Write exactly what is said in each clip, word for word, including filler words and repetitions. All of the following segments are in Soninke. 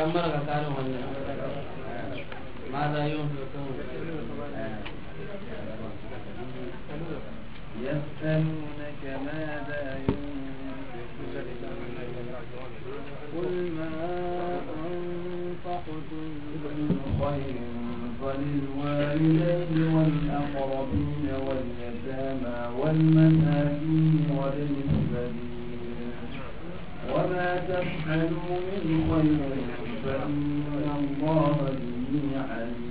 Kamar ka kare wannan. ماذا ينفقون؟ يسألونك ماذا ينفقون. قل ما أنفقتم من خير فللوالدين والأقربين واليتامى والمساكين وابن السبيل. وما تفعلوا من خير فإن الله به عليم.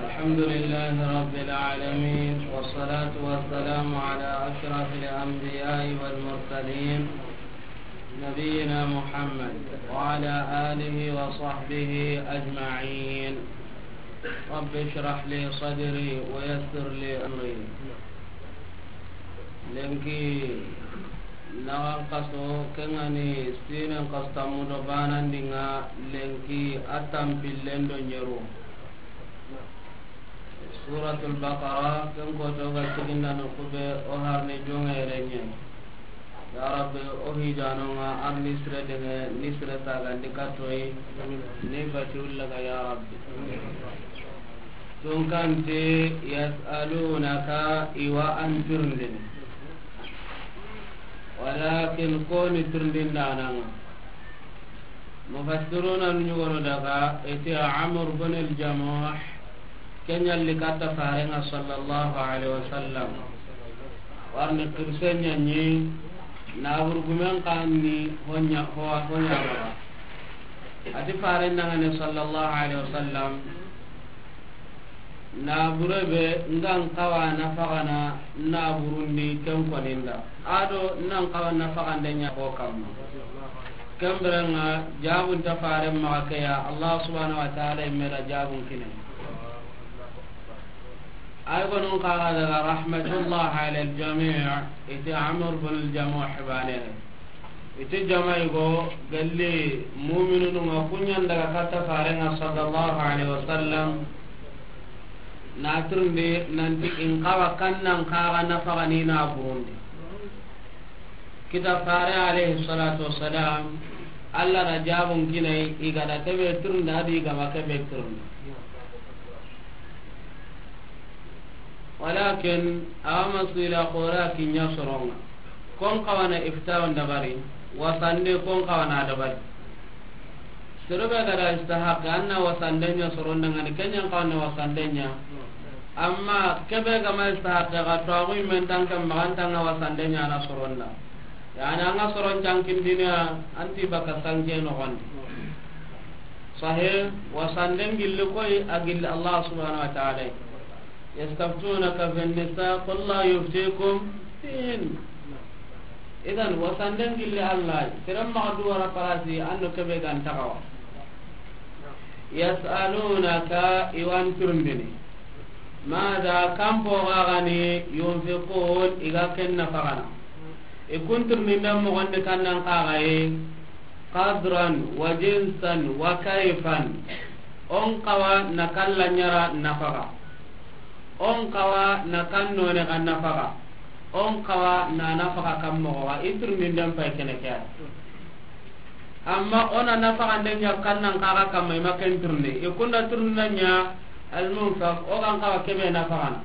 الحمد لله رب العالمين، والصلاة والسلام على أشرف الأنبياء والمرسلين، نبينا محمد وعلى آله وصحبه أجمعين. رب اشرح لي صدري ويسر لي أمري. Lenki naxan kaso, ken ga ni sinen kaso tammu do banandinga, lenki a tampillen do ɲeru. Suratul Baqara, ken koto ga siginda no kube o harni jongerenye. Ya Rabbi, o hijanonga, ar ni sire denge, ni sire sagandi katoyi, ni bati ullaga, ya Rabbi. Tunkanti, yas'alunaka, iwa an tirindini. Walakin koni tirindindananga. Mufassiruna nu ɲugono daga, iti Amr bin al-Jamuh, kenyalli katta farenga sallallahu alaihi wasallam. Warni kirse ɲanyi, na burgumen kanni honya, ho-, honya. Ati faren nangane sallallahu alaihi wasallam. Na bure be, ngan kawa na fagana na burundi ken koninda. Ado nan kawa na fagande ɲa ko kamma. Kemberenga jabun ta fare maga ke ya Allah subhanahu wa ta'ala imera jabun kine. Ay gonon kaga daga rahmatullah ala al-jami', iti Amr bin al-Jamuh bane. Iti jama'i go galli mu'minunu nga kunyan daga katta farenga sallallahu alaihi wasallam. Na turndi nanti in kawa kannan kaga na fagani na burundi. Kita fare alaihi salatu wassalam, Allah na jabun kinai igada kebe turndi adi gama kebe turndi. Walakin awa masila kora kinya soronga. Kon kawana iftawan dabari, wasande kon kawana dabari. Sero be gada istahaq anna wasandenya soronda ngani kenyan kawana wasandenya. Amma kebe gama istahaq ga to agu men tanka maganta nga wasandenya na soronda. Yani anga soron tankin dinya anti baka sanke no gondi. Sahih, wasanden gilli koy agil Allah subhanahu wa ta'ala. يستفتونك في النساء قل الله يفتيكم فيهن. Idan wasanden gilli Allah, siran maxa du wara parasi anno kebe gan taxawa. يسألونك, iwan turundini. ماذا, kampo gagani, ينفقون, iga ken nafagana. Ikun turundinden moxondi kannan kaxaye, قدرا وجنسا وكيفا. On kawa na kalla ɲara nafaga. On kawa na kan none ga nafaga. On kawa na nafaga kan moxo ga. I turundinden pay kene ke ya. Amma ona nafagande ɲa kannan kaga kamma i ma ken turundi. I kunda turundina ɲa al-munfaq, o gan kawa kebe nafagana.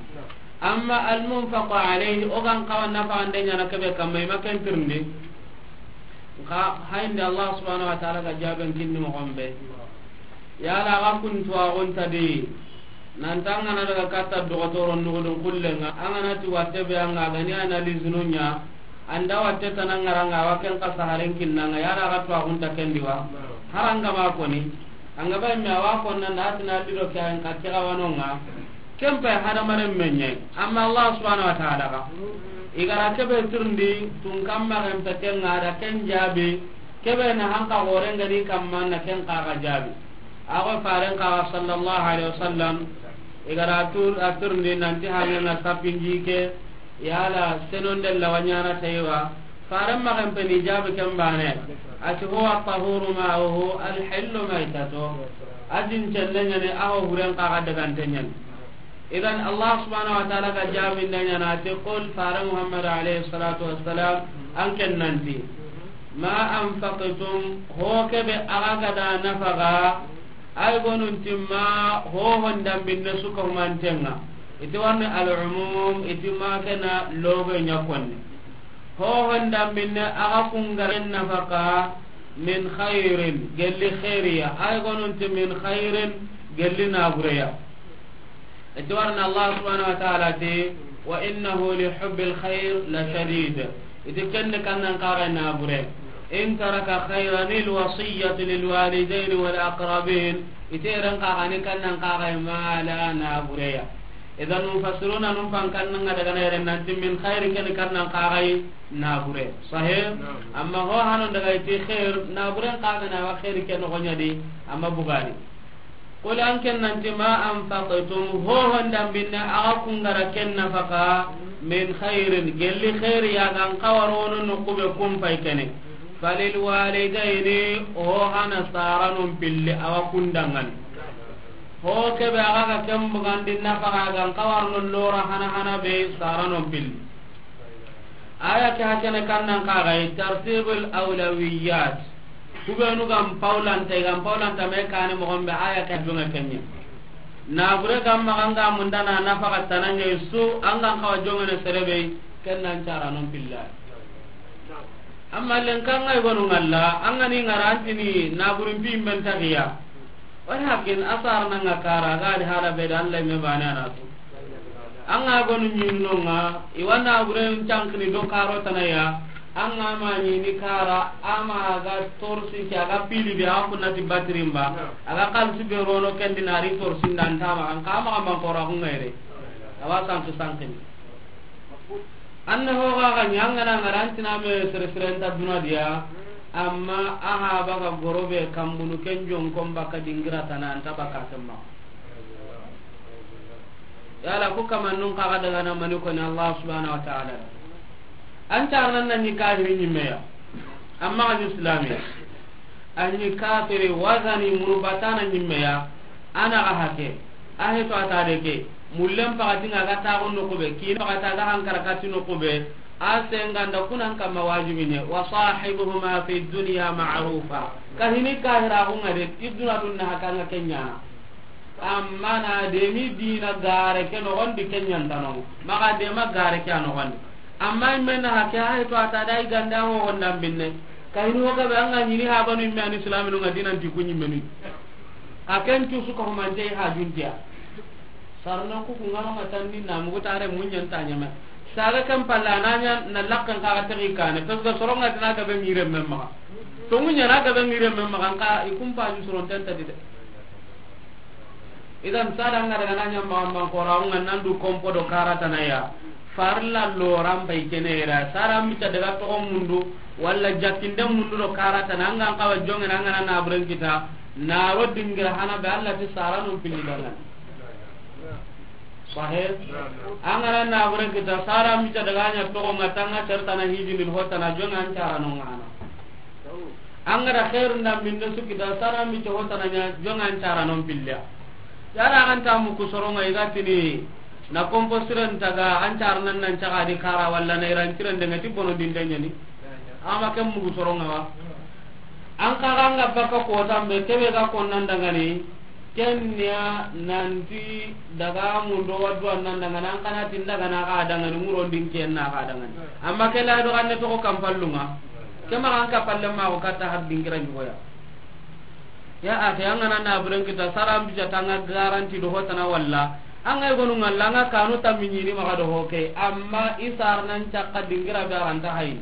Amma al-munfaq alayhi, o gan kawa nafagande ɲa na kebe kamma i ma ken turundi. Nka hayndi Allah subhanahu wa ta'ala ga jaben kinni moxon be. Yala ga kun tuwaxunta di, nanta an gana daga katta dogotoro nugudun kullenga, an gana ti watte be an ga gani analyse nu ɲa, anda watte tanangaranga, wa ken ka saharen kinnanga, yala ga tuwaxunta kendi wa. Haranga ma koni, an ga ba me awa konna na tina lido ke an ka kira wanonga. Ken pay hadamaren me ɲa yi, amma Allah subhanahu wa ta'ala ga. I gara kebe turndi, tun kamma ken peten ga da ken jaabi, kebe na hanka gore ngani kamma na ken kaga jaabi. Ago faren kaga sallallahu alaihi wasallam, i gara tur, a turndi nanti hange na sapinji ke, yala senonde lawanyana tayiwa, Faren maxen peni jaabi ken bane. A ti, هو الطهور ماؤه الحل ميتته. A din celle ɲani, a ho huren kaga dagante ɲani. Idan Allah subhanahu wa ta'ala ga jaabinde ɲana, a ti, قل, fare Muhammad alayhi salatu wassalam, an ken nanti. Ma anfaqtum, ho kebe axa ga da nafaxa, ay gonun timma ho hondambinne suka humantenga. Iti warni al-umum, iti ma kena logo ɲa konni. Ho hondambinne axa kungaren nafaxa, min khairin, gelli khairiya. Ay gonun ti min khairin, gelli nabureya. Iti warna Allah subhanahu wa ta'ala ti, "Wa innahu li hubbil khair la shadid." Iti kenne kannan kaga nabure. In taraka khairan al wasiyatu lil walidayn wal aqrabin. Iti ran kaga ni kannan kaga mala nabureya. Idan mufassiruna num pan kannan daga na yere nanti min khair ken kannan kaga nabure. Sahih? Amma ho hanon daga iti khair, naburen kaga na wa khair ken no gonyadi, amma bugadi. Qul an ken nanti ma anfaqtum, ho hondambinne axa kungara ken nafaka, min khairin, gelli khairi ya gan kawarono no kube kumpay kene. Falil walidayni, ho hana saranon pilli awa kundangan. Ho kebe axa ga ken bugandi nafaka gan kawarno lora hana hana be saranon pilli. Aya ke hakene kannan kaga yi tartibul awlawiyat. Kubenu gam paulanta, gam paulanta me kane mogon be aya ke jonga kenye. Nabure gam maganga mundana nafaka tananye su angan kawa jongene serebe kennan cara non pilla. Amma len kanga gonu ngalla, angani ngarantini naburin pi men tagiya. Walakin asar nanga kara ga di hala be da Allah me bana na su. An ga gonu ɲinno nga, i wa naburen cankini do karo tanaya, an ga ma ɲini kara, ama ga torsi ke, a ga pili be, a ga kunna ti batirin ba, a ga kalsi be rono kendi na ri torsi ndan tama, an ka ma ga man kora ku ngaire. A wa sanki sankini. An na ho ga ga ɲa an ga na ngarantina me sere sere nta duna diya, amma a ha ba ga goro be kambunu ken jon kon ba ka dingira tana anta ba ka semma. Yala ku kamannun kaga daga na mani koni Allah subhanahu wa ta'ala. An carnan na ni kahiri ɲimmeya. Amma an islami. An ni kafiri wazani muru batana ɲimmeya. Ana ga hake. A heto ata de ke. Mullen pagati nga ga tago no kube. Kina pagata ga hankara kati no kube. A senganda kunan kama wajibi ne. Wa sahibuhuma fi dunya ma'rufa. Kahini kahira hunga de. Iduna dunna hakanga kenyana. Amma na demi dina gare ke nogondi kenyantanonga. Maga dema gare ke a nogondi. Amma imme na hake hay to ata dai ganda ho honda binne. Kayinu ho gabe anga ɲini ha banu imme an islaminonga dinan ti kunyi menu. A ken tu suka humante ha juntiya. Sarno ku ku ngama tanni na mugu tare munyan tanyame. Saga kan palla nanya na lakkan ka tagi kane. Pesga soronga dina gabe ngire memma. To munya na gabe ngire memma kan ka ikumpa ju soron tenta dide. Idan sara nga daga nanya ma man kora nga nandu kompo do karata na ya. Farla loran bai kenera sara mita daga to mundu wala jakinde mundu do karata na nga kawa jonge na nga na buren kita na ro dingira hana be Allah ti sara no pili daga. Sahih. Angara na buren kita sara mita daga nya to nga tanga serta na hijini hota na jonge an cara no ngana. Angara khairu nda minne su kita sara mi to hotana nya jonga an cara non pilla. Yara an ta mu ku soronga igatini na kompo siren taga an cara nan nan caga di kara walla na iran kiran de ngati bono dindanya ni. Ama kem mu ku soronga wa. An ka ganga baka ko tambe kebe ga kon nan dangani. Kenya nanti daga mundo wadu an nan dangani an kana tin daga na ga dangani muron din ken na ga dangani. Amma kela do an to ko kampallunga. Kema an ka palle ma ko kata har dingira ɲugoya. Ya akhi, an ga na na buren kita sara an bija tanga garanti do hotana walla. An ga gonu ngalla an ga kanu tammi ɲini maga do hoke. Amma isar nan cakka dingira be aranta hayi.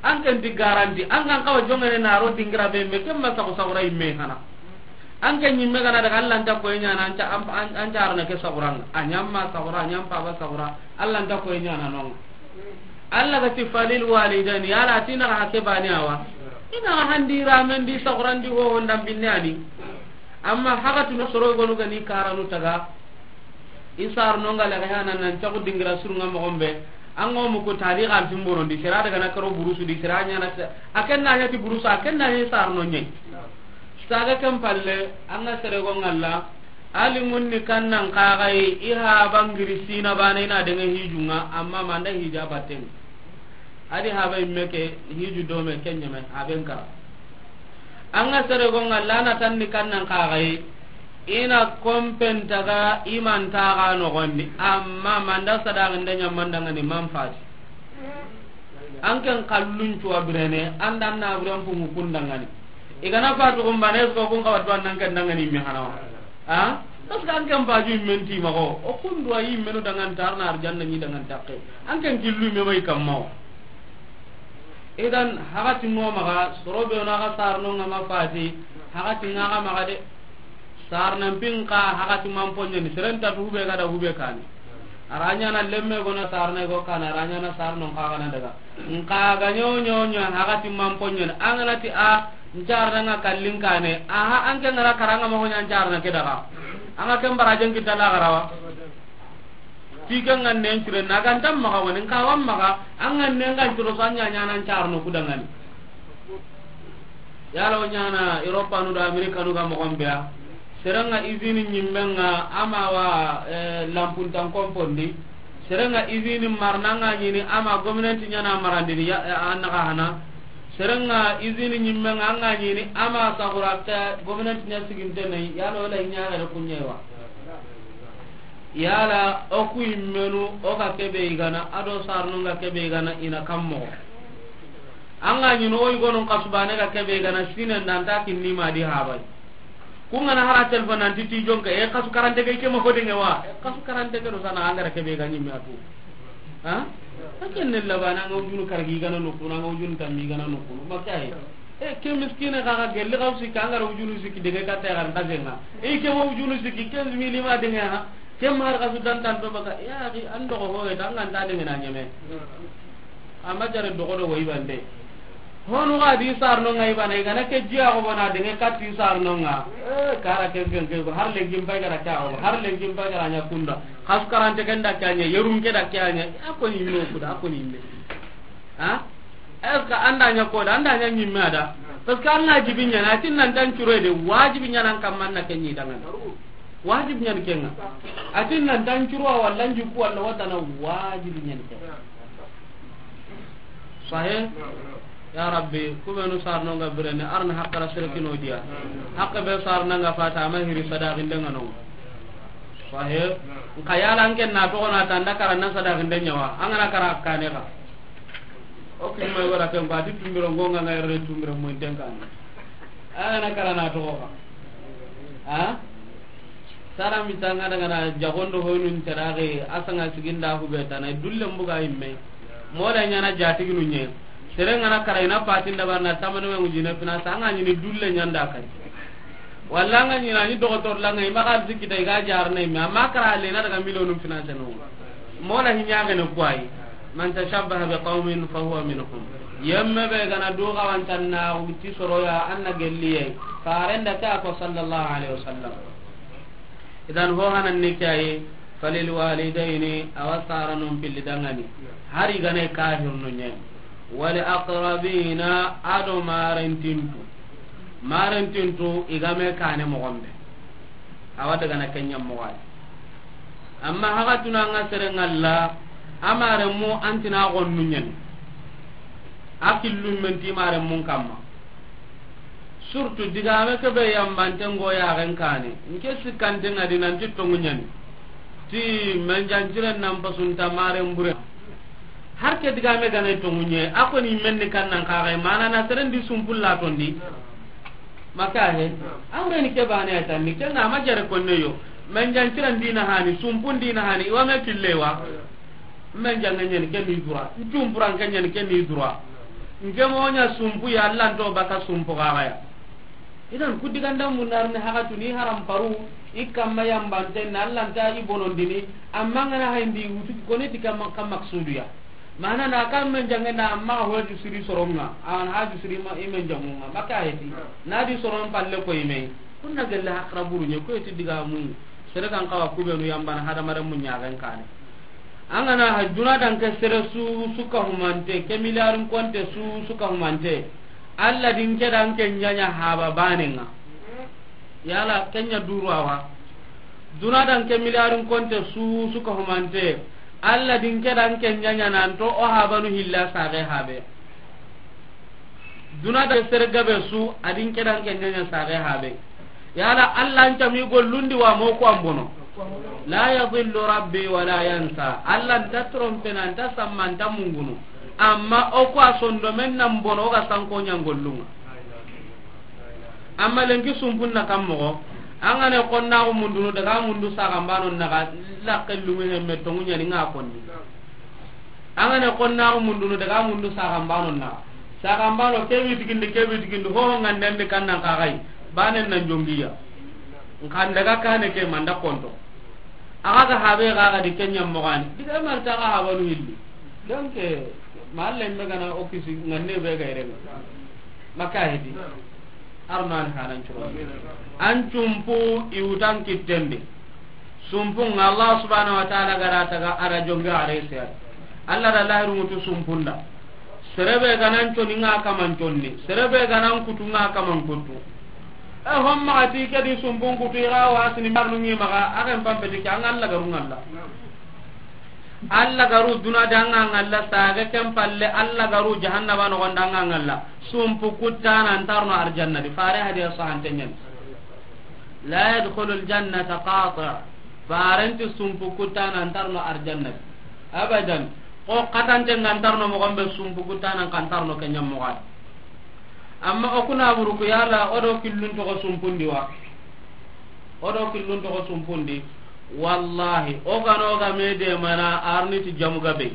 An ken di garanti, an ga kawa jongene na ro dingira be me kemma sago sago rai me hana. An ken nyimme gana daga Allah nta ko nya na an ca an an carna ke sago ran. Anyamma sago ra, anyampa ba sago ra. Allah nta ko nya na non. Allah ga ti falil walidaini, yala tina ga hake bani awa. Ina ga handi ramen di sago ran di ho honda binne ani. Amma haga tunu soro gonu gani karanu taga. Isar no nga laga hana nan cagu dingira surunga mo gombe. An go mu ko tari ga timboro di sira daga na karo burusu di sira nya na. Aken na ya ti burusu aken na ya sar no nyai. Saga kan palle an ga sere go ngalla. Ali munni kannan kagai iha bangiri sina bana ina daga hijunga amma manda hija batten. A di haba imme ke, hiju dome ke ɲeme, haben kara. An ga sere go ŋa lana tan ni kannan kaxayi, i na kompen taga i man taga noxondi, amma manda sadaxinde ɲamandangani man fati. An ken kallun cuwa birene, an dan na buren pungu kundangani. I gana fatu gumbane, est-ce que kun xawa duwan nan ken dangani imme hanawa? Ha? Parce que an ken baju immen ti maxo, o kundu a yi immenu dangan tarna arjanna ni dangan takke. An ken killu imme bay kamma o. Idan, hagati ŋo maxa, soro be na ga sarno ŋa ma fati, hagati ŋa ga maxa de. Sarnan pin ka hagati man ponɲeni, seren ta tu hube ga da hube kani. Aranya na lemme gona sarna go kana, aranya na sarno ka gana daga. Nka ga ɲo ɲo ɲo hagati man ponɲeni, an gana ti a ncarna ŋa kallin kane, aha, an ke ngara karanga ma honya ncarna ke daga. An ga ken barajen kita la garawa. Ti ke ŋa nen cire na ga ntam maxa woni, nka wan maxa, an ga nen ga ciro so an ɲa ɲa nan carno kudangani. Yala o ɲana Europa nu da Amerika nu ga moxon be ya. Serenga izini ɲimmenga ama wa, eh, lampuntan kompondi. Serenga izini marnanga ɲini ama gomnanti ɲana marandini ya, eh, an naga hana. Serenga izini ɲimmenga anga ɲini ama sagura ke gomnanti ɲa sigintene, yala o la ɲa ga da kunɲewa. Yala o ku immenu, o ga kebe igana, ado sarno ga kebe igana, ina kammo. Anga ɲino o igonon kasu bane ga kebe igana, sinen danta kinni ma di habai. Ku ngana hara telefon nanti ti jonka, e kasu karante ke ke ma hodenge wa. E kasu karante ke do sana angara kebe ga ɲimme atu. Ha? Aken ne labana nga ujunu kargi gana nokuna, nga ujunu tammi gana nokuna. Makai. E, ke miskine xa, xa gelli xa usi, ka ngara ujunu siki dege ka te xar ndasenga. E, ke ma ujunu siki quinze mille ma denge ha. Ke ma har xa su dan tan to baka. Ya, ki an dogo ho, e, tanga nda denge na ɲeme. Amma jare dogo do woy bande. Honu ga di sarno nga ibana, igana ke jiya ko bona denge ka ti sarno nga. E, kara ken ken ke, har lenki mbai gara ka o, har lenki mbai gara ɲa kunda. Xas karante ken da kanya, yerum ke da kanya. A ko ni no kuda, a ko ni me. Ha? Est-ce que an da ɲa ko da, an da ɲa ɲimme da? Parce que an ga jibi ɲana, a tin nan tan curo de, wajibi ɲana an kamman na ken ɲi dangan. Wajibi ɲan kenga. A tin nan tan curo walla njuku walla watana, wajibi ɲan kenga. Sahih? Ya Rabbi, ku benu sarno nga birene, arna haqqara sere kino diya. Haqqa be sarna nga fata, ama hiri sadaqinde nga no. Sahih? Nka yala an ken na toxo na tanda kara na sadaqinde ɲawa, an gana kara kane ka. O kin ma wara ken ba di tumbiro ngonga nga yere tumbiro mo intenkan. Ana kara na toxo ka. Ha? Sara mi tanga daga na jagondo honun terage asanga siginda hube tana dulle mbuga imme. Mola ɲana jatiginu ɲe. Sere ngana kara ina patin da barna tamane we ngujine fina sanga ɲini dulle ɲanda kai. Walla nga ɲina ni dogotor langa ima kal sikita iga jarne me amma kara le na daga miliyonu fina seno. Mola hinya gane kwai. Man tashabbaha bi qaumin fa huwa minhum. Yemme be gana do gawantanna uti soroya anna gelliye. Farenda ta ko sallallahu alaihi wasallam. Idan ho hanan ni kayi, falil walidaini, awa saranon pilli dangani. Hari gane kahirnu ɲe. Wal aqrabina, ado marentintu. Marentintu igame kane mogombe. Awa daga na kenya mogay. Amma haga tuna nga sere ngalla, amare mu antina gonnu ɲen. Akillu menti mare mun kamma. Surtout digame ke be yambante ngo yaxen kane. Nke sikkante nga di nanti tongu ɲani. Ti menjanciren nan pasunta maren bure. Har ke digame gane tongu ɲe, a koni menni kannan kaxay, mana na seren di sumpulla tondi. Maka he, an gani ke bane ay tanni, ke nga ma jare konne yo. Menjanciren dina hani, sumpun dina hani, iwa me killewa. Men jange ɲani ke ni dura, ntumpuran ke ɲani ke ni dura. Nke moɲa sumpu ya, Allah nto baka sumpu kaxaya. Idan ku diganda munarni haxatu ni haram paru, i kamma yambante na Allah nta i bonondini, amma ngana hayndi wutu kone ti kamma kam maksudu ya. Mana na kam men jange na amma haju siri soronga, an haju siri ma i men jangunga, maka heti. Na di soron palle ko i me. Kunna gelle haqra buru ɲe ko ti digamu. Sere kan kawa ku benu yambana hadamaren mu ɲaxen kane. An gana ha duna dan ke sere su suka humante, ke miliyarin konte su suka humante. Allah din ke dan ke ɲaɲa haba banenga. Yala kenya duru awa. Duna dan ke miliyarin konte su suka humante. Alla din ke dan ke ɲaɲa nan to o habanu hilla sage habe. Duna da sere gabe su a din ke dan ke ɲaɲa sage habe. Yala Alla an cami gollundi wa mo ko an bono. La yadillu rabbi wa la yansa. Alla nta trompena, nta samma, nta mungunu. Amma o ko a sondomen nan bono o ga sanko ɲan gollunga. Amma lenki sumpun na kam moxo, an ga ne xonnaxu mundunu daga mundu saxanbano naxa, laqqe lungu hemme tongu ɲani nga konni. An ga ne xonnaxu mundunu daga mundu saxanbano naxa, saxanbano ke witigindi, ke witigindi, hoho ngandendi kannan kaxayi, banen nan jongiya. Nkan daga kane ke manda konto. Axa ga habe ga ga di kenya mogani. Diga marta ga habanu hilli. Donc, eh, malle me gana o kisi nganne be ga irenga. Maka hedi. Arman hanan curo. An cumpu iwutan kittendi. Sumpu nga Allah subhanahu wa ta'ala gara taga ara jonge ara ise. Allah da lahiru mutu sumpunda. Serebe ganan coni nga kaman conni. Serebe ganan kutu nga kaman kutu. E, homma ati ke di sumpun kutu ira wa sini marnu ngi maga, agen pambe di ke, an Allah garu ngalla. Allah garu duna da nga ngalla, saga ken palle Allah garu jahannaba no gonda nga ngalla. Sumpu kutana antarno arjanna di. Fare hadiya sahantenyen. La yadkhulul jannata qati'. Farenti sumpu kutana antarno arjanna di. Abadan. Ko katante ngantarno mo gombe sumpu kutana kantarno kenyam mo gadi. Amma o kuna buru ku yala o do killun toxo sumpundi wa. O do killun toxo sumpundi. Wallahi, o gano ga me de mana arni ti jamu gabe.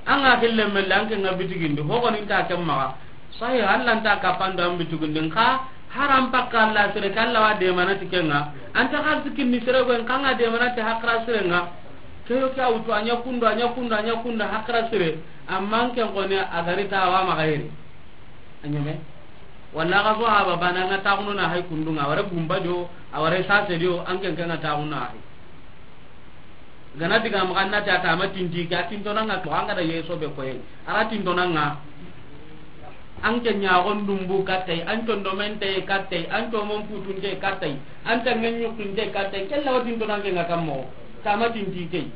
An ga kille melle an ke nga bitigindi, ho goni nta ken maxa. Sahi, Allah nta kapando an bitigindi, nka haram pakka Allah sere ke Allah wa de mana ti kenga. Anta xalsi kinni sere go, nka nga de mana ti hakra sere nga. Ke yo ke a wutu, a ɲa kundu, a ɲa kundu, a ɲa kundu, hakra sire. Amma an ken koni a gari ta wa maxa yere. A ɲeme. Walla ga so haba bana nga taxunu na hay kundunga, a wara gumba jo, a wara sase jo, an ken ken nga taxunu na hay. Gana diga maxa na ta ta ma tinti ke, a tintonanga ko an ga da yeso be koyen. Ara tintonanga. An ke ɲaxon dumbu kattay, an condomente kattay, an comon putunte kattay, an tangen ɲukkunte kattay, kella wa tintonanke nga kammo, tama tinti key.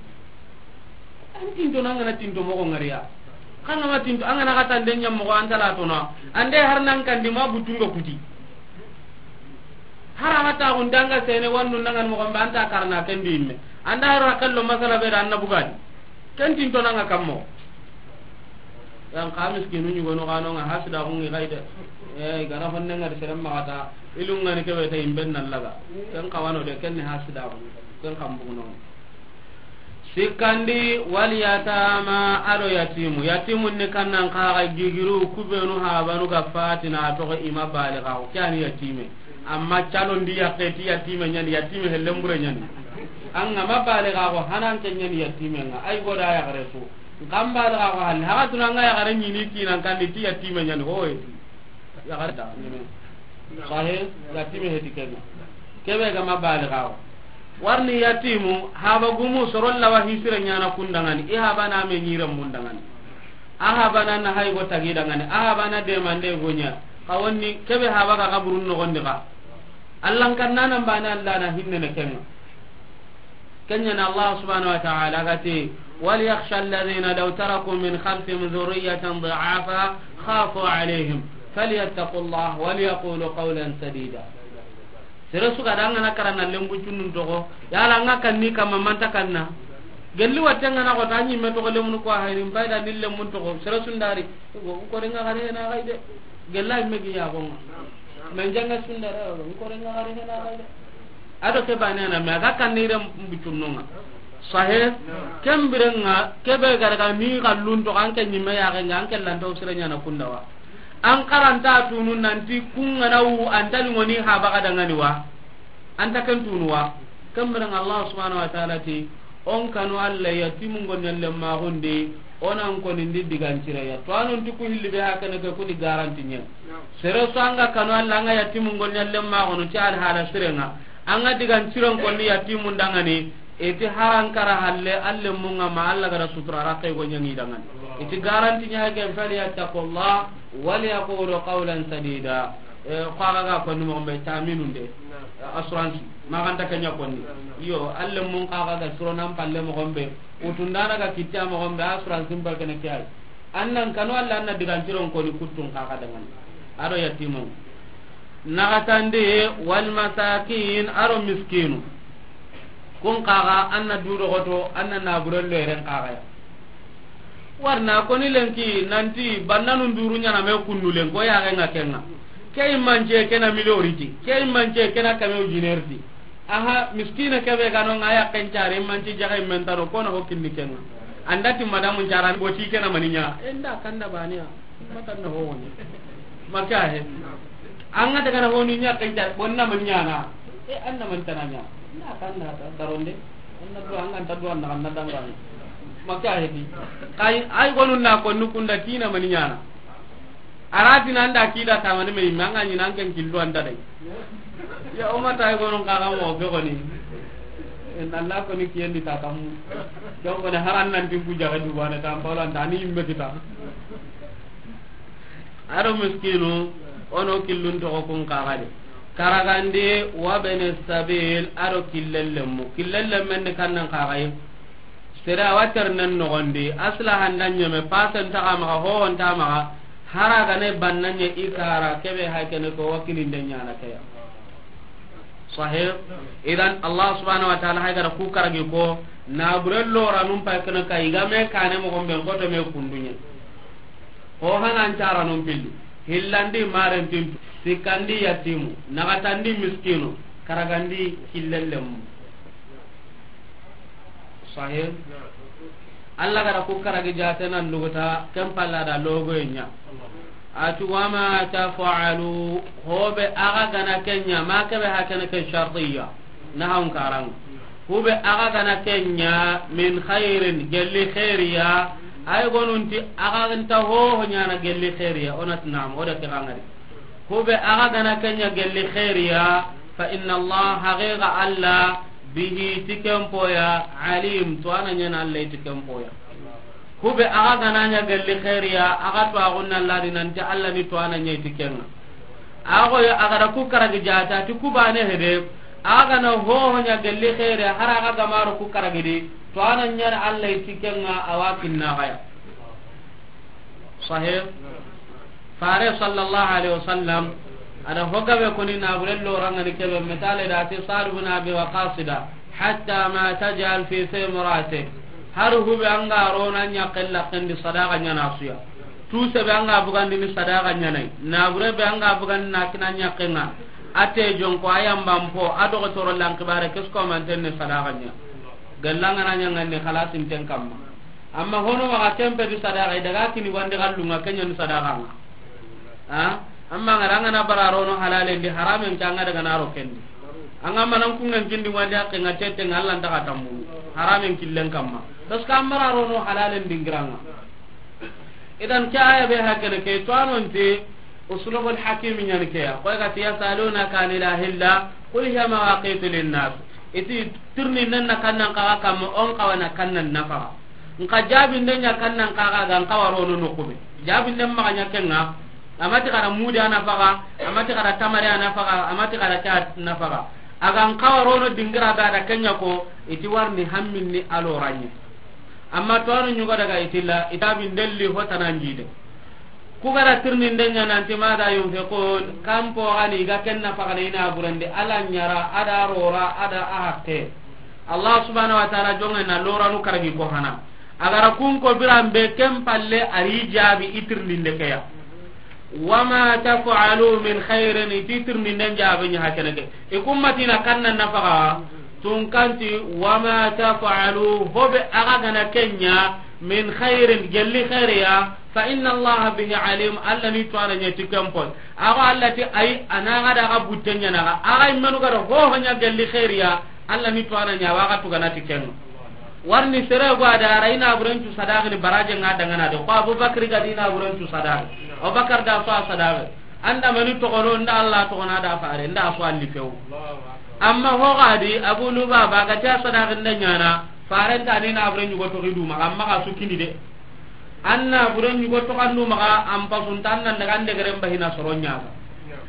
An tintonanga na tinto moxo ngariya. Xanga ma tinto, an ga na xatande ɲammoxo an tala tona. Ande har nan kandi ma butunga kuti. Har a ga taxuntanga sene wannu nangan moxon be an ta karana kendi yimme. Anda har a kello masala be da an na bugadi. Ken tintonanga kammo. Yan xa miskinu ɲugonu xanonga hasidaxungi xay de. E, i gara honne ngari seren maxata, ilungani kebe ta imben na laga. Ken xawano de, ken ni hasidaxu. Ken xambuguno. Sikkandi, wal yatama, ado yatimu. Yatimun ni kannan xaxa gigiru kubenu habanu ga fatina toxo ima balixaxu. Ke ani yatime. Amma calondi yakke ti yatime ɲani, yatime hellembure ɲani. An ga ma balixaxu hanan ke ɲani yatime nga. Ay goda yaxare su. Nkan balixaxu hanni, haxa tuna nga yaxare ɲini kinan kandi ti yatime ɲani, hoye ti. Yaxare da, ɲeme. Sahe, yatime heti kenga. Kebe ga ma balixaxu. Warni yatimu, haba gumu, soron lawa hisire ɲana kundangani, i haba na me ɲire mundangani. A haba na na hay go tagi dangani, a haba na demande go ɲa. Xa wonni, kebe haba ga kaburun noxondi xa. Allan kannanan bane Allah na hinnene kenga. Kenyana Allah subhanahu wa ta'ala gati, وليخشى الذين لو تركوا من خلفهم ذرية ضعافا خافوا عليهم فليتقوا الله وليقولوا قولا سديدا. Sere su ga da an ga na karana lembu cunnun toxo, yala an ga kanni kamma manta kanna. Gelli watte an ga na xota ɲimme toxo lemunu ko hayrin payda ni lemmun toxo, sere sundari, ko renga xare na xay de. Gella imme gi yaxonga. Men janga sundara, ko renga xare na xay de. Ado ke bane na me a ga kannire mbucunnonga. Sahe, kembirenga, kebe garga ni xallun to an ke ɲimme yaxenga, an ke lanto sire ɲana kundawa. An karanta tunu nanti kungana wu, an tali ngoni haba ga dangani wa. An ta ken tunu wa. Kembirenga Allah subhanahu wa ta'ala ti, on kanu Allah yatimu ngon yalle maxundi, onan konindi digan cireya. To anon ti ku hilli be hakene ke ku di garanti ɲen. Sere so an ga kanu Allah an ga yatimu ngon yalle maxunu ti alhala sirenga. An ga digan ciren konni yatimu ndangani, iti haran kara halle, alle munga ma Allah gara sutura rakke go ɲangi dangani. Iti garanti ɲa ke, فليتقوا الله وليقولوا قولا سديدا. E, ko aga ga konni mo be taminunde. Assurance, ma xa nta ke ɲa konni. Iyo, a lemmun xa ga siro nan palle moxo be, wutundana ga kitta moxo be, assurance mba kene ke ay. An nan kanu Alla, an na digantiron koni kuttun xa ga dangani. A do yatimun. Naxatandi, wal masakin, a do miskinu. Kun xa ga, an na du doxoto, an na naburen lo yeren xa ga ya. Warna koni lenki nanti bannanu nduru ɲana me kundu lenko ya ga ŋa kenŋa. Ke imance kena milioriti, ke imance kena kame ujinerti. Aha, miskina kebe gano ŋa ya kencare, imance jaga imentano, kona ho kinni kenŋa. Andati madamu ncara boti kena maninya. Enda kanda baniya. Matan na ho woni. Maka he. An ga daga na honi ɲa kencare, bonna maninya na. E, an na man tana ɲa. Na kan na ta daronde. An na duwa, an ga nta duwa, na kan na dangani. Maka he di. Kay, ay gonu na ko nukunda tina mani ɲana. Arati nan da kida tamani me, manga ni nan ken killu anda dai. Ya umata, ay gonu ka ga mo be goni. En Allah ko ni kiyen di ta kam. Don ko ne haran nan tin ku jaga du bana tam pawlan tani imbe kita. A do miskinu, o no killun toxo kun xa ga de. Karagandi, wa bene sabil, a do killellemmu. Killellemmen ni kannan xa ga yi. Sere a wa ternen noxondi, asla handa ɲeme, pasen taxa maxa, hohon ta maxa, hara gane banna ɲe i kara, kebe ha kene ko wa kilinde ɲana ke ya. Sahih. Idan Allah subhanahu wa ta'ala hay gara ku karagi ko, naburen loranun pay kene ka i ga me kane moxo be, n koto me kunduɲe. Ho hanan caranun pilli, hillandi marentintu, sikkandi yatimu, naxatandi miskinu, karagandi killellemu. Sahih. Allah gara ku karagi jatenan luguta, ken palla da logoye ɲa. A ti, "Wa ma taf'alu," hobe aga gana kenya, ma kebe hakene ke shartiya. Na haun karang. Hube aga gana kenya, "min khairin," gelli khairiya. Ay gonunti aga nta ho ho ɲana gelli khairiya, onat nam, oda ke gangari. Hube aga gana kenya gelli khairiya, "fa inna Allah," haqiqa Allah, "bihi," ti ken poya, "alim," to ana ɲana Allah ti ken poya. Hube aga gana ɲa gelli khairiya, aga to agunna Allah di nanti Allah ni to ana ɲa ti kenga. Ago ya aga da ku karagi jata ti ku bane hede, aga na ho ho ɲa gelli khairiya, har aga gamaro ku karagi di, to ana ɲa Allah ti kenga, awa kinna gaya. Sahih. Fare sallallahu alaihi wasallam, ada hogabe koni na burello rangani kebe, misale da ti Sa'd ibn Abi Waqqas da, "Hatta ma taj'al fi imra'atik." Har hube anga rona ɲa kella kendi sadaqa ɲana suya. Tuse be anga bugandi ni sadaqa ɲana. Na bure be anga bugandi na kina ɲa kenga. Ate jonko ayam bampo, a dogotoro lankibare, kesko manten ni sadaqa ɲa. Gallanga na ɲa ngani khalasin ten kamma. Amma hono maxa kempe di sadaqa, i daga kini wandi xallunga, kenya ni sadaqa nga. Ha? Amma ngara ngana bara rono halalen di, haramen ka nga daga naro kendi. Anga manan kungan kindi wandi akke nga tete nga Allah nta ka tambu. Haramen killen kamma. Parce que amara rono halalen dingiranga. Idan ke aya be hakene ke to anonte uslubul hakim ɲani ke ya. Ko ga ti, "Yasalunaka anil ahilla, qul hiya mawaqitu linnas." Iti tirni nan na kannan kaga kamma, on kawana kannan nafaga. Nka jabinden ɲa kannan kaga ga, nka warono nokube. Jabinden maga ɲa kenga, amati kada mudi a nafaga, amati kada tamari a nafaga, amati kada ke a nafaga. Aga nka warono dingira ga da kenya ko, iti warni hamminni aloranye. Amma to anu ɲugo daga itilla, itabi ndelli hotana njide. Ku gara tirninde ɲa nanti mada yunfiqun, kampo gani ga kenna fagana ina burande, ala ɲara, ada rora, ada ahatte. Allah subhanahu wa ta'ala jonge na loranu karagi ko hana. Agara kun ko biran be ken palle ari jabi itirninde keya. Wama taf'alu min khairin, iti tirninden jabe ɲa hakene ke. Ikummatina kanna nafaga, tunkanti, wama taf'alu, hobe aga gana kenya, min khairin, gelli khairiya, fa inna Allah bihi alim, Allah ni tuwana ɲa ti kempo. Aga Allah ti ay, anaga daga butte ɲa naga. Aga immenu gara ho ho ɲa gelli khairiya, Allah ni tuwana ɲa waga tugana ti kenga. Warni sere go ada ara ina burencu sadaqini baraje nga dangana de. Ko Abubakar ga dina burencu sadaqi. Abubakar da so sadaqi. Anda mani togono nda Allah togona da fare nda so alli few. Amma ho gadi Abu Lubaba ga ta sadaqi nda ɲana, fare nda ni na burencu go togi duma, amma ga sukini de. Anna burencu go togandu maga, am pasunta anna daga nde garen bahina soronya.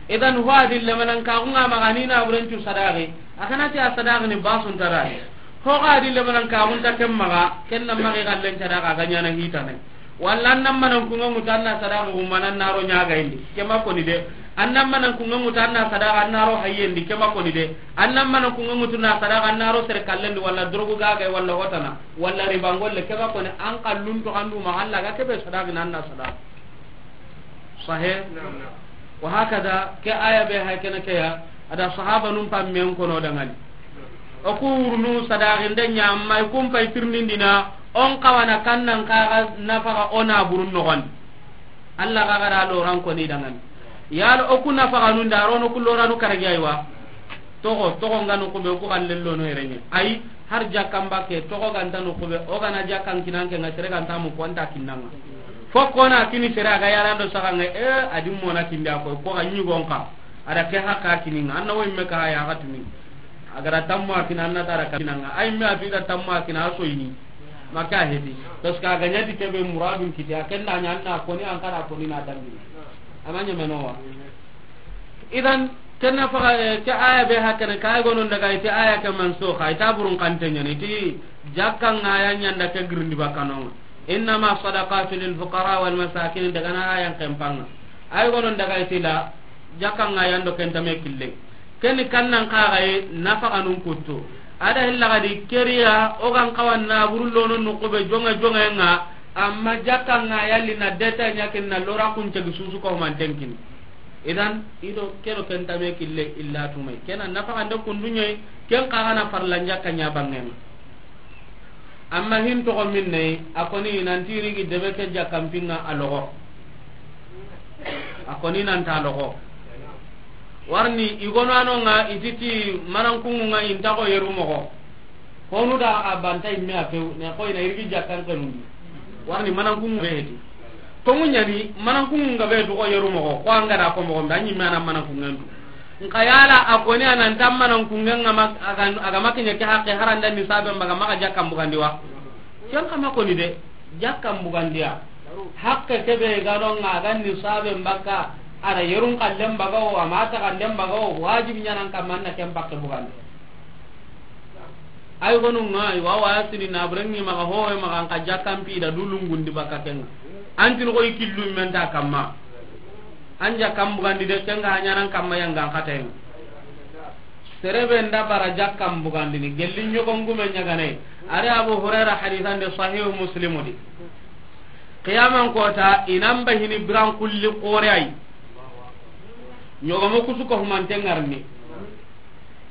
Idan, ho a di lemanan kaxun ŋa maxa ni na burencu sadaqi, a kana ti a sadaqi ni basun tarari. Ho ga di lemanan kaxun ta ken maxa, ken na maxa i xallen sadaqi a ga ɲana hitane. Walla an nan manan kunŋa ŋutu an na sadaqi xumana an na ro ɲagayindi, ke ma koni de. An nan manan kunŋa ŋutu an na sadaqi an na ro hayyendi, ke ma koni de. An nan manan kunŋa ŋutu na sadaqi an na ro sere kallendi, walla drogu gagay, walla hotana, walla ribangolle, ke ma koni. An kallun to andu ma Allah ga kebe sadaqi nan na sadaqi. Sahe. Wa hakada, ke aya be hay kene ke ya, a da sahaba nun pammen kono dangani. O ku wurunu sadaqinde ɲa, amma i kun pay tirnindina, on kawana kannan kaga nafaga o na burun nogondi. Allah ga gara loran koni dangani. Yalo o ku nafaga nun da rono ku loranu karagi aywa. Togo, togo ngano kube ku kallello no erenye. Ay, har jakkan bakke, togo ganta no kube, o gana jakkan kinanke nga sere ganta mu ko anta kinnanga. Fo kona kini sere aga yarando saganga, e, adi mona kindi a koy, ko ga ɲugon ka. Ada ke haka kininga, anna wo imme ka ya ga tuni. Agara tamma kina anna tara kinanga. Ay me ati da tamma kina a soyini. Maka hedi. Parce que aga ɲati kebe muradun kiti, akenda ɲa anna koni an kara koni na dambi. Amanya menowa. Idan, kenna faga, eh, ke aya be hakene, ka ay gonon daga ite aya ke mansukha, ita burun kante ɲani, iti jakkan ŋa ya ɲanda ke girindi bakanonga. Innama sadaqatu lil fuqara wal masakin, daga na ayan kempanga. Ay gonon daga ite la, jakkan ŋa yando kentame kille. Keni kannan kaga ye, nafaga nun kuttu. Ada hilla gadi keriya, o gan kawan na burullono nukube jonga jonga nga, amma jakkan ŋa yalli na deta ɲakin na lora kun cegi susu ko man tenkini. Idan, ido kero ken tame kille illa tumay. Kena nafaxande kunduɲey, ken xaxana farlanja kaɲa bangenga. Amma hin toxo minne, a koni nanti rigi debe ke jakkampinga a loxo. A koni nanta loxo. Warni igono anonga ititi manankungunga intaxo yeru moxo. Honu da a banta imme a few, ne koy na irgi jakkan kanun. Warni manankun be heti. Tongu ɲani, manankun ga be to ko yeru moxo, ko an ga da ko moxo, da ɲi mana manankun ngandu. Nka yala a koni anan tam manankun ngan ma, aga, aga makinya ke hakke haranda ni sabe mbaga maka jakkan bugandi wa. Ken kama koni de, jakkan bugandiya. Hakke ke be ga don ga ni sabe mbaka, ara yerun kallen baga o, amata kallen baga o, wajib ɲanan kamanna ken bakke bugandi. Ay gonu nga, i wa wa sini na brengi maga ho, e maga nka jakkan pi da dulungundi baka kenga. Antin ko ikillu men ta kamma. An jakkan bugandi de kenga hanyanan kamma yanga katayen. Serebe nda bara jakkan bugandi ni gelli ɲogon gume ɲagane. Are Abu Hurairah hadithan de Sahih Muslim di. Qiyaman kota inan bahini biran kulli qore ay. Ɲogomo kusu ko humante ngarni.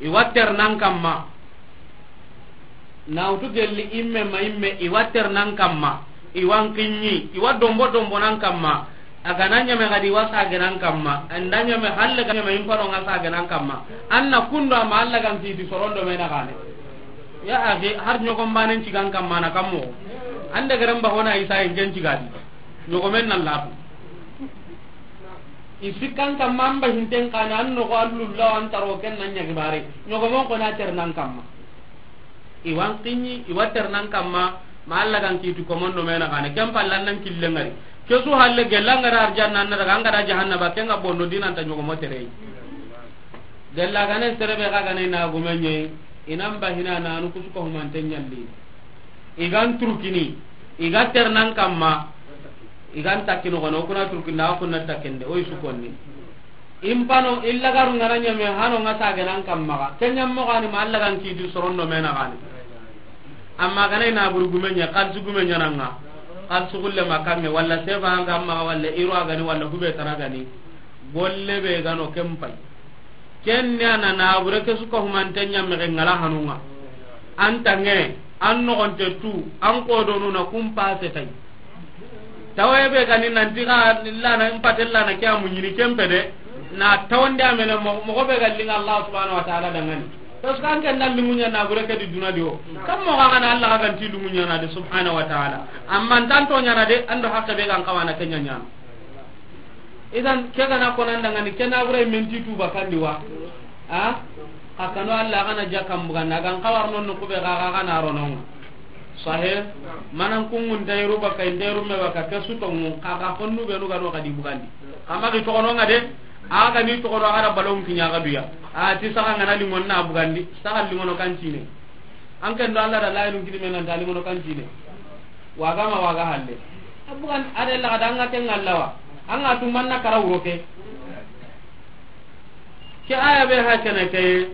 I wa ternan kamma. Na wutu gelli imme ma imme, i wa ternan kamma. I wa nkinɲi, i wa dombo dombo nan kamma. A ga na ɲame gadi wa sagenan kamma. Anda ɲame halle ga ɲame impano nga sagenan kamma. Anna kundo ama Allah gan kiti sorondo mena gane. Ya akhi, har ɲogon banen cigan kamma na kammo. Ande garen ba hona isa en jen cigadi. Ɲogomen nan latu. I sikkan kamma amba hinten kana an nogo allulla an taro ken nan ɲagi bare. Ɲogomon kona ternan kamma. I wa nkinɲi, i wa ternan kamma, ma Allah gan kiti komondo mena gane. Ken pallan nan kille ngari. Kesu halle gella ngara arjanna na daga ngara jahannaba kenga bondo dinanta ɲogomo terei. Gella gane serebe ga gane na gumenye, inan bahina na anu kusuko humante ɲalli. I gan turkini, i ga ternan kamma, i gan takkino kono, kuna turkinda, kuna takkende, oy sukonni. Impano illa garu ngana ɲame hano nga sagenan kamma ga. Kenyam mo gani ma Allah gan kiti sorondo mena gani. Amma gana ina buru gumenye, kalsu gumenye nanga. Kalsu gulle makange, walla seba anga amma walla iro agani, walla hube taragani. Golle be gano kempai. Kenne ana na bure ke suka humante ɲame ke ngala hanunga. Antange, an nogonte tu, an kodonu na kumpa setai. Tawaye be gani nanti ga lana, impate lana ke amu ɲini kempe de, na tawande amene mo, mogo be ga linga Allah subhanahu wa ta'ala dangani. Parce que an ken dan lingunya na bure ke di duna di o. Kam mo ga na Allah ga ganti lingunya na de subhanahu wa ta'ala. Amma ntanto nya na de, ando hakke be gan kawana kenya nya. Idan ke gana konan dangani kena bure menti tu bakandi wa. A? Kakano Allah gana jakam buganda gan kawar non kube ga ga na ronon. Sahe, manan kungun dairu baka, dairu me baka, ke su tongu, ka ga honnu be nu ga no ga di bugandi. Kama gi tokono nga de, A ga ni toxo do, a ga da balon kiɲa ga duya. A ti saxa ŋa na liŋon na bugandi, saxa liŋono kan cine. An ken do Alla da layinun kini me nan ta liŋono kan cine. Waga ma waga halle. A bugan a de la ga da an ga ken ŋa lawa. An ga tu manna kara wuro ke. Ke aya be ha kene ke,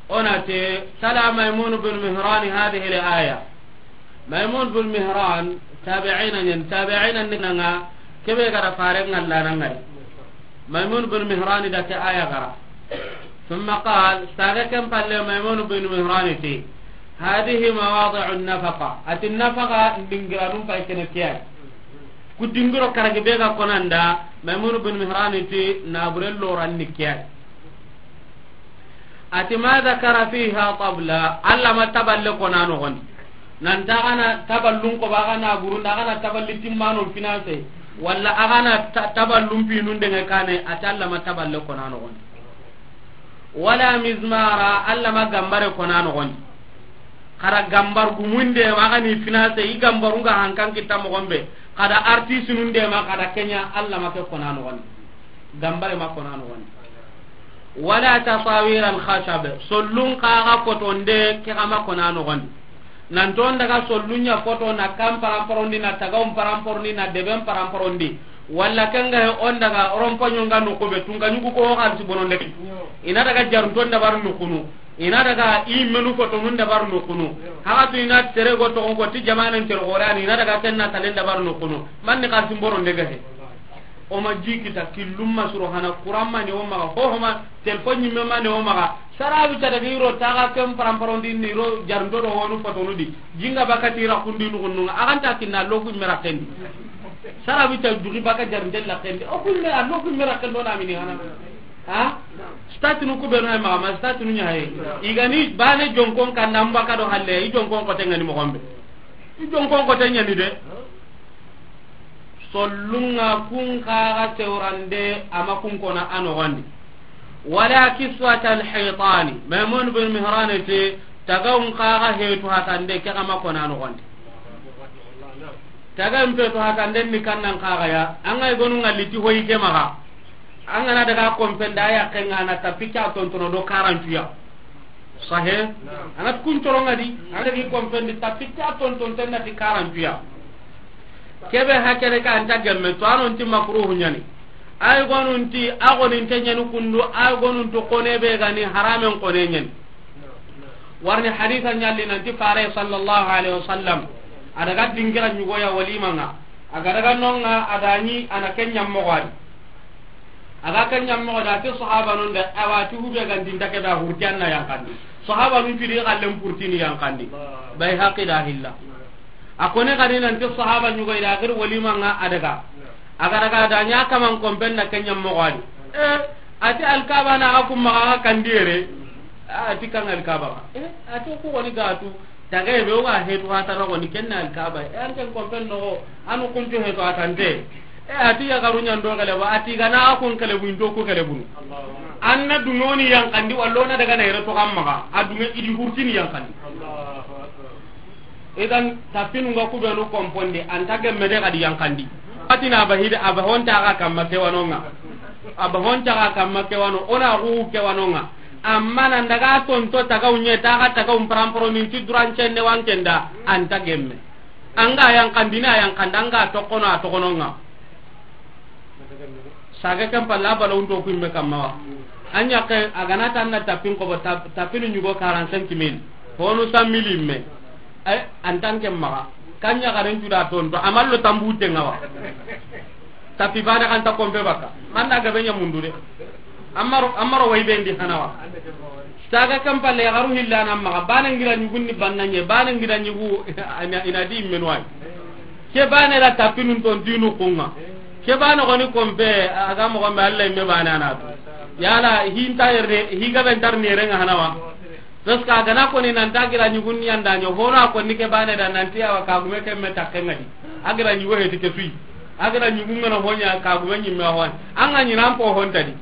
o na te, tala Maymun bin Mihran hadhihi al-aya. Maymun bin Mihran, tabi'ina ɲen, tabi'ina ni ŋa, kebe ga da fare ŋalla na ŋari. Maymun bin Mihran da ke aya gara. Thumma qal, saga ken palle Maymun bin Mihran ti, hadhihi mawadi'u nafaqa. Ati nafaqa ndingiranun pay kene kiyai. Ku dingiro karagi be ga konanda, Maymun bin Mihran ti, nabure loran ni kiyai. Ati ma dhakara fiha tabla, Alla ma taballe kona noxondi. Nanta a ga na taballun ko ba, a ga na burunda, a ga na taballi timmano finance, walla a ga na ta-, taballun pinun denge kane, ati Alla ma taballe kona noxondi. Wala mizmara, Alla ma gambare kona noxondi. Xara gambar gumunde, a ga ni finance, i gambarun ga hankan kita moxon be, xada artiste nun de ma, xada kenya, Alla ma ke kona noxondi. Gambare ma kona noxondi. Wala tasawir al khashab, sollun kaga fotonde ke ga ma kona noxondi. Nanto on daga sollun ɲa foto na kan paramparondi, na tagaun paramparondi, na deben paramparondi. Walla kenga he on daga rompoɲo nga no kobe tunga ɲugu ko xalsi bononde. Ina daga jarunton dabar nukunu. Ina daga i menu fotonun dabar nukunu. Haga tu ina tere go togon ko ti jamanen tere gorani, ina daga tenna talen dabar nukunu. Manni xalsi bononde ga he. O ma ji kita killum ma suro hana, kuran ma ne o maxa, hoho ma, telefon ɲimme ma ne o maxa. Sarawi ta daga iro taga ken paramparondi ni ro jarndo do honu fotonu di. Jinga baka tira kundi nugunnunga. A ganta kinna logu mera kendi. Sarawi ta dugi baka jarnde la kendi. O kumme a logu mera kendo na mini hana. Ha? Statinu ku beno ma, ma statinu ɲa he. Igani bane jonkon kan nan baka do halle, i jonkon ko tengani mo gombe. I jonkon ko tengani de. Sollunga kun kaga sewrande ama kun kona a nogondi. Wala kiswata alhitani, Maimun bin Mihrane te, tagawun kaga hetu hatande ke ama kona a nogondi. Tagawun petu hatande ni kannan kaga ya, anga igonu ngaliti hoyi ke maga. Angana daga kompenda ya kenga na tapika tontono do karantuya. Sahe? Anat kun toronga di, anat gi kompendi tapita tonton tenna ti karantuya. Kebe hakere ka anta gemme to anon ti makruhu ɲani. Ay gonun ti agonin te ɲani kundu, ay gonun to kone be gani haramen kone ɲani. Warni haditha ɲalli nanti fare sallallahu alaihi wasallam. Adaga dingira ɲugoya walimanga. Aga daga nonga adani ana kenya mogwadi. Aga ke ɲammoxo da ti sahaba nun da, awa ti hube gandinta ke da hurti anna yankandi. Sahaba nun cudi xallen purtini yankandi. Bayhaqi da hilla. A kone gani nanti sahaba ɲugoy da gir walimanga adaga. Aga daga da ɲa kaman kompen da ke ɲammoxo adi. E, ati alkaba na ga kumma ga kandi yere. Ati kan alkaba. E, ati ku goni gatu. Tagaye be o ga hetu hatana goni kenna alkaba. E an ken kompen noxo anu kuncu hetu hatante. E ati yagaru ɲando gele ba ati gana a kun kele bu into ku kele bunu. Anna dungoni yankandi wallo na daga na yere to kamma ga a dunge idi hurtini yankandi. Idan tapinu nga kubenu komponde anta gemme de gadi yankandi. Atina abahide abahonta ga kamma kewanonga. Abahonta ga kamma kewano ona gu kewanonga. Amma nan daga tonto tagaw ɲe taga tagaw paramparo min ti durancenne wankenda anta gemme. Anga yankandini a yankanda anga tokono a tokononga. Sage ken palla bala unto kuimme kamma wa. Anya ke agana tanna tapin ko tap-, tapinu ɲugo quarante-cinq mille. Honu cent mille imme. Ay antan ke maga. Kanya garen tuda tonto amallo tambu tenga wa. Tapi bana kan ta kompe baka. Manda gabe ɲa mundu de. Amaro, amaro way bendi hanawa. Saga kampalle garu hillana maga. Bana ngira ɲugunni bannanye. Bana ngira ɲugu ina, ina di menwai. Ke bana la tapinun ton dinu kunga. Ke bana goni kompe aga mo gombe Allah imme bana na. Yala hinta yerde higa ben tar ne renga hanawa. Parce que a gana koni nan ta gira ɲugun ni yanda ɲo hono a koni ke bane da nan ti awa kagume ke me takke ngadi. A gira ɲugo heti ke sui. A gira ɲugun ngana honya kagume ɲimme hon. Anga ɲinan po hon tadi.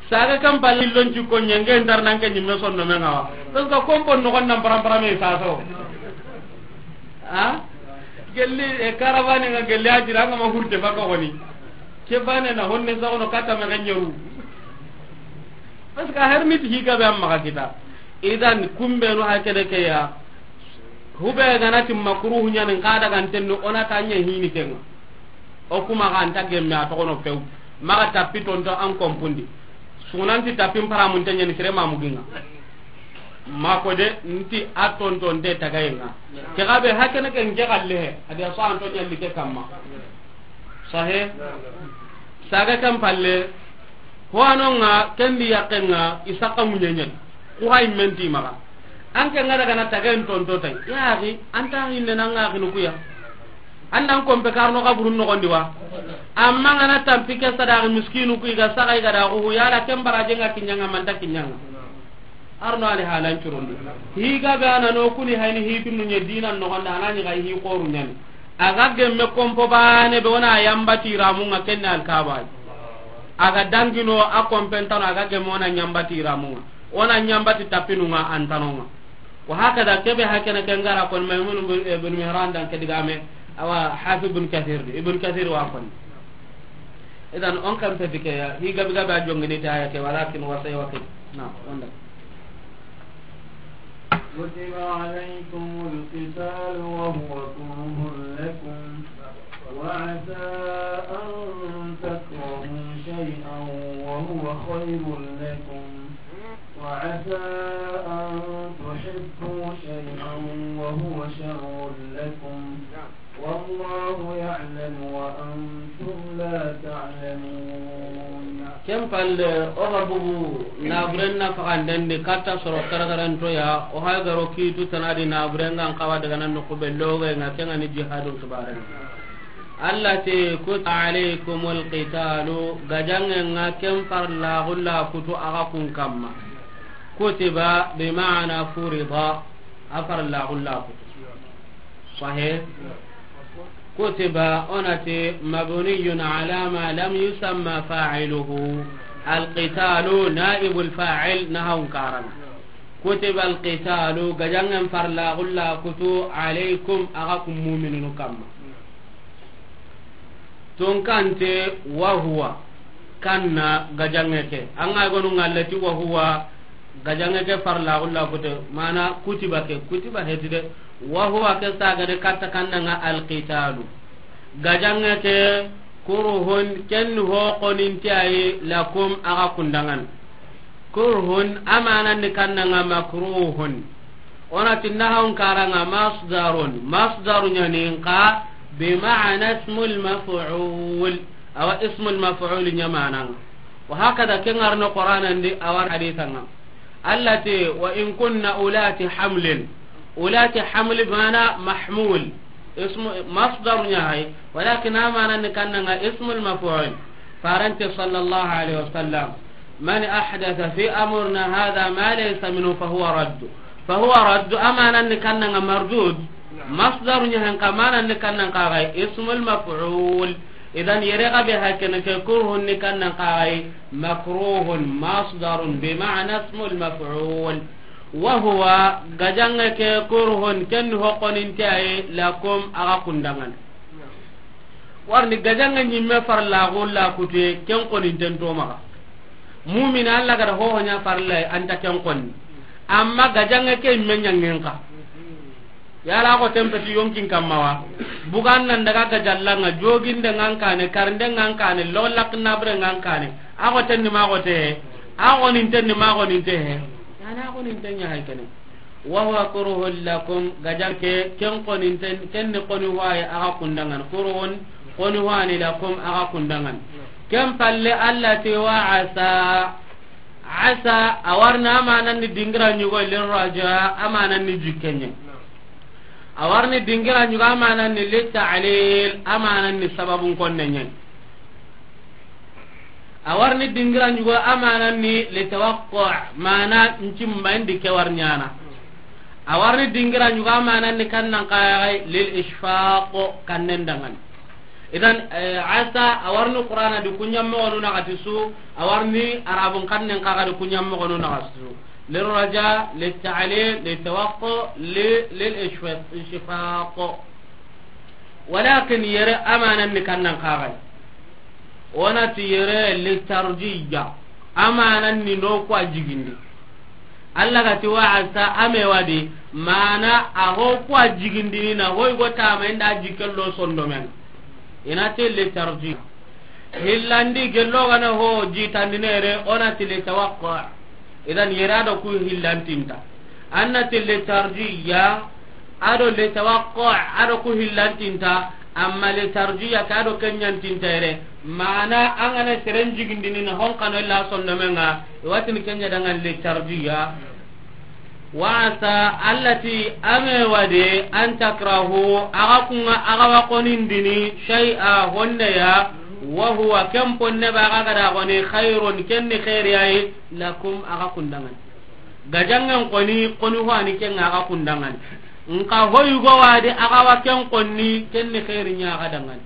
Saga kan balli lon ci ko ɲenge ndar nan ke ɲimme sonno me ngawa. Parce que kompo no gon nan param param e saso. Ha? Gelli e caravane nga gelli a jira nga ma hurte baka woni. Ke bane na honne sa ono kata me ganyeru. Parce que a her ni ti hi gabe an maxa kita. Idan kumbenu hakene ke ya. Hube ga na ti makruhu ɲa ni, n xa daga n tenni o na ta ɲa hini ke ŋa. O kuma xa an ta gemme a toxono few. Maxa tapi tonto an kompundi. Sunanti tapi n paramun te ɲa ni sere mamugi ŋa. Ma ko de, n ti a tontonte tagaye ŋa. Ke gabe hakene ke n ke xalle he. A di a so an to ɲalli ke kamma. Sahe. Saga kan palle. Ho ano ŋa, ken di yakke ŋa, i saxa muɲeɲen. Ku hay menti maxa. An ke ŋa daga na tagayen tonto tay. Ya axi, an ta hinne na ŋa axinu kuya. An nan kompe karno kaburun noxondi wa. Amma ŋa na tampi ke sadaxi miskinu ku i ga saxa i ga da xuhu, yala ken baraje ŋa kiɲa ŋa, manta kiɲa ŋa. Arno ani halan curondi. Hi gabe ana no kuni hayni hi dunu ɲe dinan noxonda, ana ɲi ga hi xoru ɲani. A ga gemme kompo bane be, o na yambati ramu ŋa, kenne alkaba. A ga dangino a kompentano, a ga gemme o na ɲambati ramu ŋa. O na ɲambati tapinu ŋa, antano ŋa. Wa hakada kebe hakene ke n ga ra kon Maymun bin, eh, bin Mihran dan ke digame, awa Hafiz bin Kathir di, Ibn Kathir wa kon. Idan on kan pe dike ya, hi gabi gabi a jongini ta ya ke, walakin wasay wakil. Na, wanda. كتب عليكم القتال وهو كره لكم، وعسى أن تكرهوا شيئا وهو خير لكم، وعسى أن تحبوا شيئا وهو شر لكم، والله يعلم وأنتم لا تعلمون. Ken palle, o ga bugu naburen na faxanden di katta soro karagaranto ya, o ha garo kitu tanadi naburen ŋa n xawa daga nan noxu be loge ŋa, ken ŋa ni jihadun kibaren. Allah ti, kutiba alaykumul qitalu, gajange ŋa ken farla gulla kutu a ga kun kamma. Kutiba bi ma'ana furida, a farla gulla kutu. Sahih. Kutiba, o na ti mabniyun ala ma lam yusamma fa'iluhu. Alqitalu naibul fa'il, nahawun karana. Kutiba alqitalu, gajangen farla gulla kutu, alaykum, a ga kun muminunu kamma. Tonkante, wa huwa, kanna gajange ke. An ga gonu ŋa lati wa huwa, gajange ke farla gulla kute, mana kutiba ke, kutiba heti de. Wa huwa ke saga de katta kanna ŋa alqitalu. Gajange ke kurhun, ken ho koninte ayi, lakum, a ga kun dangan. Kurhun, a manan ni kanna ŋa makruhun. O na ti nahawun kara ŋa masdarun. Masdaru ɲa ni nka bi ma'ana ismul maf'ul. Awa ismul maf'ul ɲa manan ŋa. Wa hakada ke ŋarno Qur'anan di, a war hadithan ŋa. Allah ti, wa in kunna ulati hamlin. Ulati hamli mana mahmul. Ismu, masdar ɲa hay, walakin a manan ni kanna ŋa ismul maf'ul. Farante sallallahu alaihi wasallam. Man ahdatha fi amrina hadha ma laysa minhu fahuwa radd. Fahuwa radd, a manan ni kanna ŋa mardud. Masdar ɲa han ka manan ni kanna ŋa ga ismul maf'ul. Idan yere ga be hakene ke kurhun ni kanna ŋa ga makruhun masdarun bi ma'na ismul maf'ul. Wa huwa, gajange ke kurhun, ken ho koninte ayi, lakum, a ga kun dangan. Warni gajange ɲimme farla gulla kute, ken koninten to maxa. Mumina Allah ga da hoho ɲa farla, anta ken konni. Amma gajange ke ɲimme ɲangen ka. Yala a xoten peti yonkin kamma wa? Bugan nan daga gajalla ŋa, joginde ŋa n kane, karinde ŋa n kane, lolak nabre ŋa n kane. A xoten ni ma xote he? A xoninten ni ma xoninte he? Yana a xoninten ɲa hay kene. Wa huwa kurhun lakum, gajange ke, ken xoninten, ken ni xoni waye a ga kun dangan. Kurhun, xoni wani lakum, a ga kun dangan. Ken palle Allah ti wa asa. Asa, a warni a manan ni dingira ɲugo lirraja, a manan ni jikkenye. A warni dingira ɲugo a manan ni lita'lil, a manan ni sababun konnenye. A warni dingira ɲugo a manan ni litawaqqa, mana ncimba indi ke warnyana. A warni dingira ɲugo a manan ni kannan kayay lil ishfaq, kannen dangan. Idan, eh, asa, a warni Qur'ana di kuɲammoxonu naxati su, a warni Arabun xannen xaxa di kuɲammoxonu naxati su. Lirraja, litta'lil, littawaqqa, li-, lil ishfa-, ishfaq. Walakin yere a manan ni kannan xaxay. O na ti yere litarjiya. Amanan ni no ku a jigindi. Allah ga ti wa asa, a me wa di, mana a ho ku a jigindini na hoy go tama inda jikke lo sondomen. I na ti li tarjih. Hillandi gello ga na ho jitandini yere, o na ti li tawaqqu. Idan yere a do ku hillantinta. An na ti li tarjih ya, a do li tawaqqu, a do ku hillantinta, amma li tarjih ya ke a do ken ɲantinta yere. Mana an ga na seren jigindini na hon kano illa sondomen ŋa, i wa tini ken ɲa dangan li tarjih ya. Wa asa, Allah ti, a me wa de, an takrahu, a ga ku ŋa, a ga wa konindini, shay'a, honne ya, wa huwa, ken ponne ba ga ga da koni, khairun, ken ni khairi ya yi, lakum, a ga kun dangan. Gajangen koni, koni ho ani ken ŋa a ga kun dangan. Nka hoy go wa de, a ga wa ken koni, ken ni khairi ɲa a ga dangan.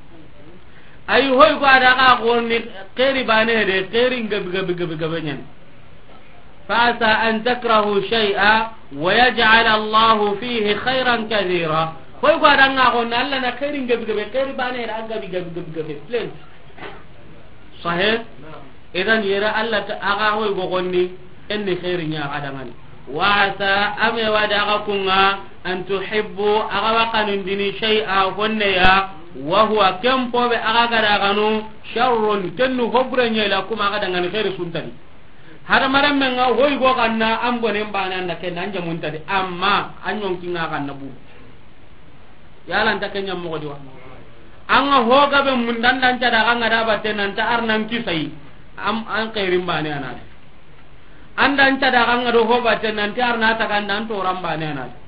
Ay hoy go a da ga koni, khairi bane de, khairi gabi, gabi, gabi, gabi ɲan. Fa asa an takrahu shay'a wa yaj'al Allahu fihi khairan kathira. Hoy go a da ŋa koni, Allah na khairi gabi, gabi, khairi bane de, a gabi, gabi, gabi, gabi, plein. Sahih? Idan yere Allah ta a ga hoy go koni, en ni khairi ɲa a ga dangan. Wa asa, a me wa de a ga ku ŋa, an tuhibbu, a ga wa kanundini shay'a, honne ya, wa huwa, ken po be a ga ga da kanu, sharrun, ken nu ho bure ɲa lakum a ga dangan khairi su nta di. Hadamarenmen ŋa hoy go kanna, an bonen bane an da ken an jamu nta di, amma an ɲonki ŋa kanna bu. Yala nta ken ɲa moxo di wa? An ga ho gabe mun dan dan ca da ga ŋa da batte nan ta ar nan kisai. Am, an khairin bane a na di. An dan ca da ga ŋa do ho batte nan ta ar na ta kan dan toran bane a na di.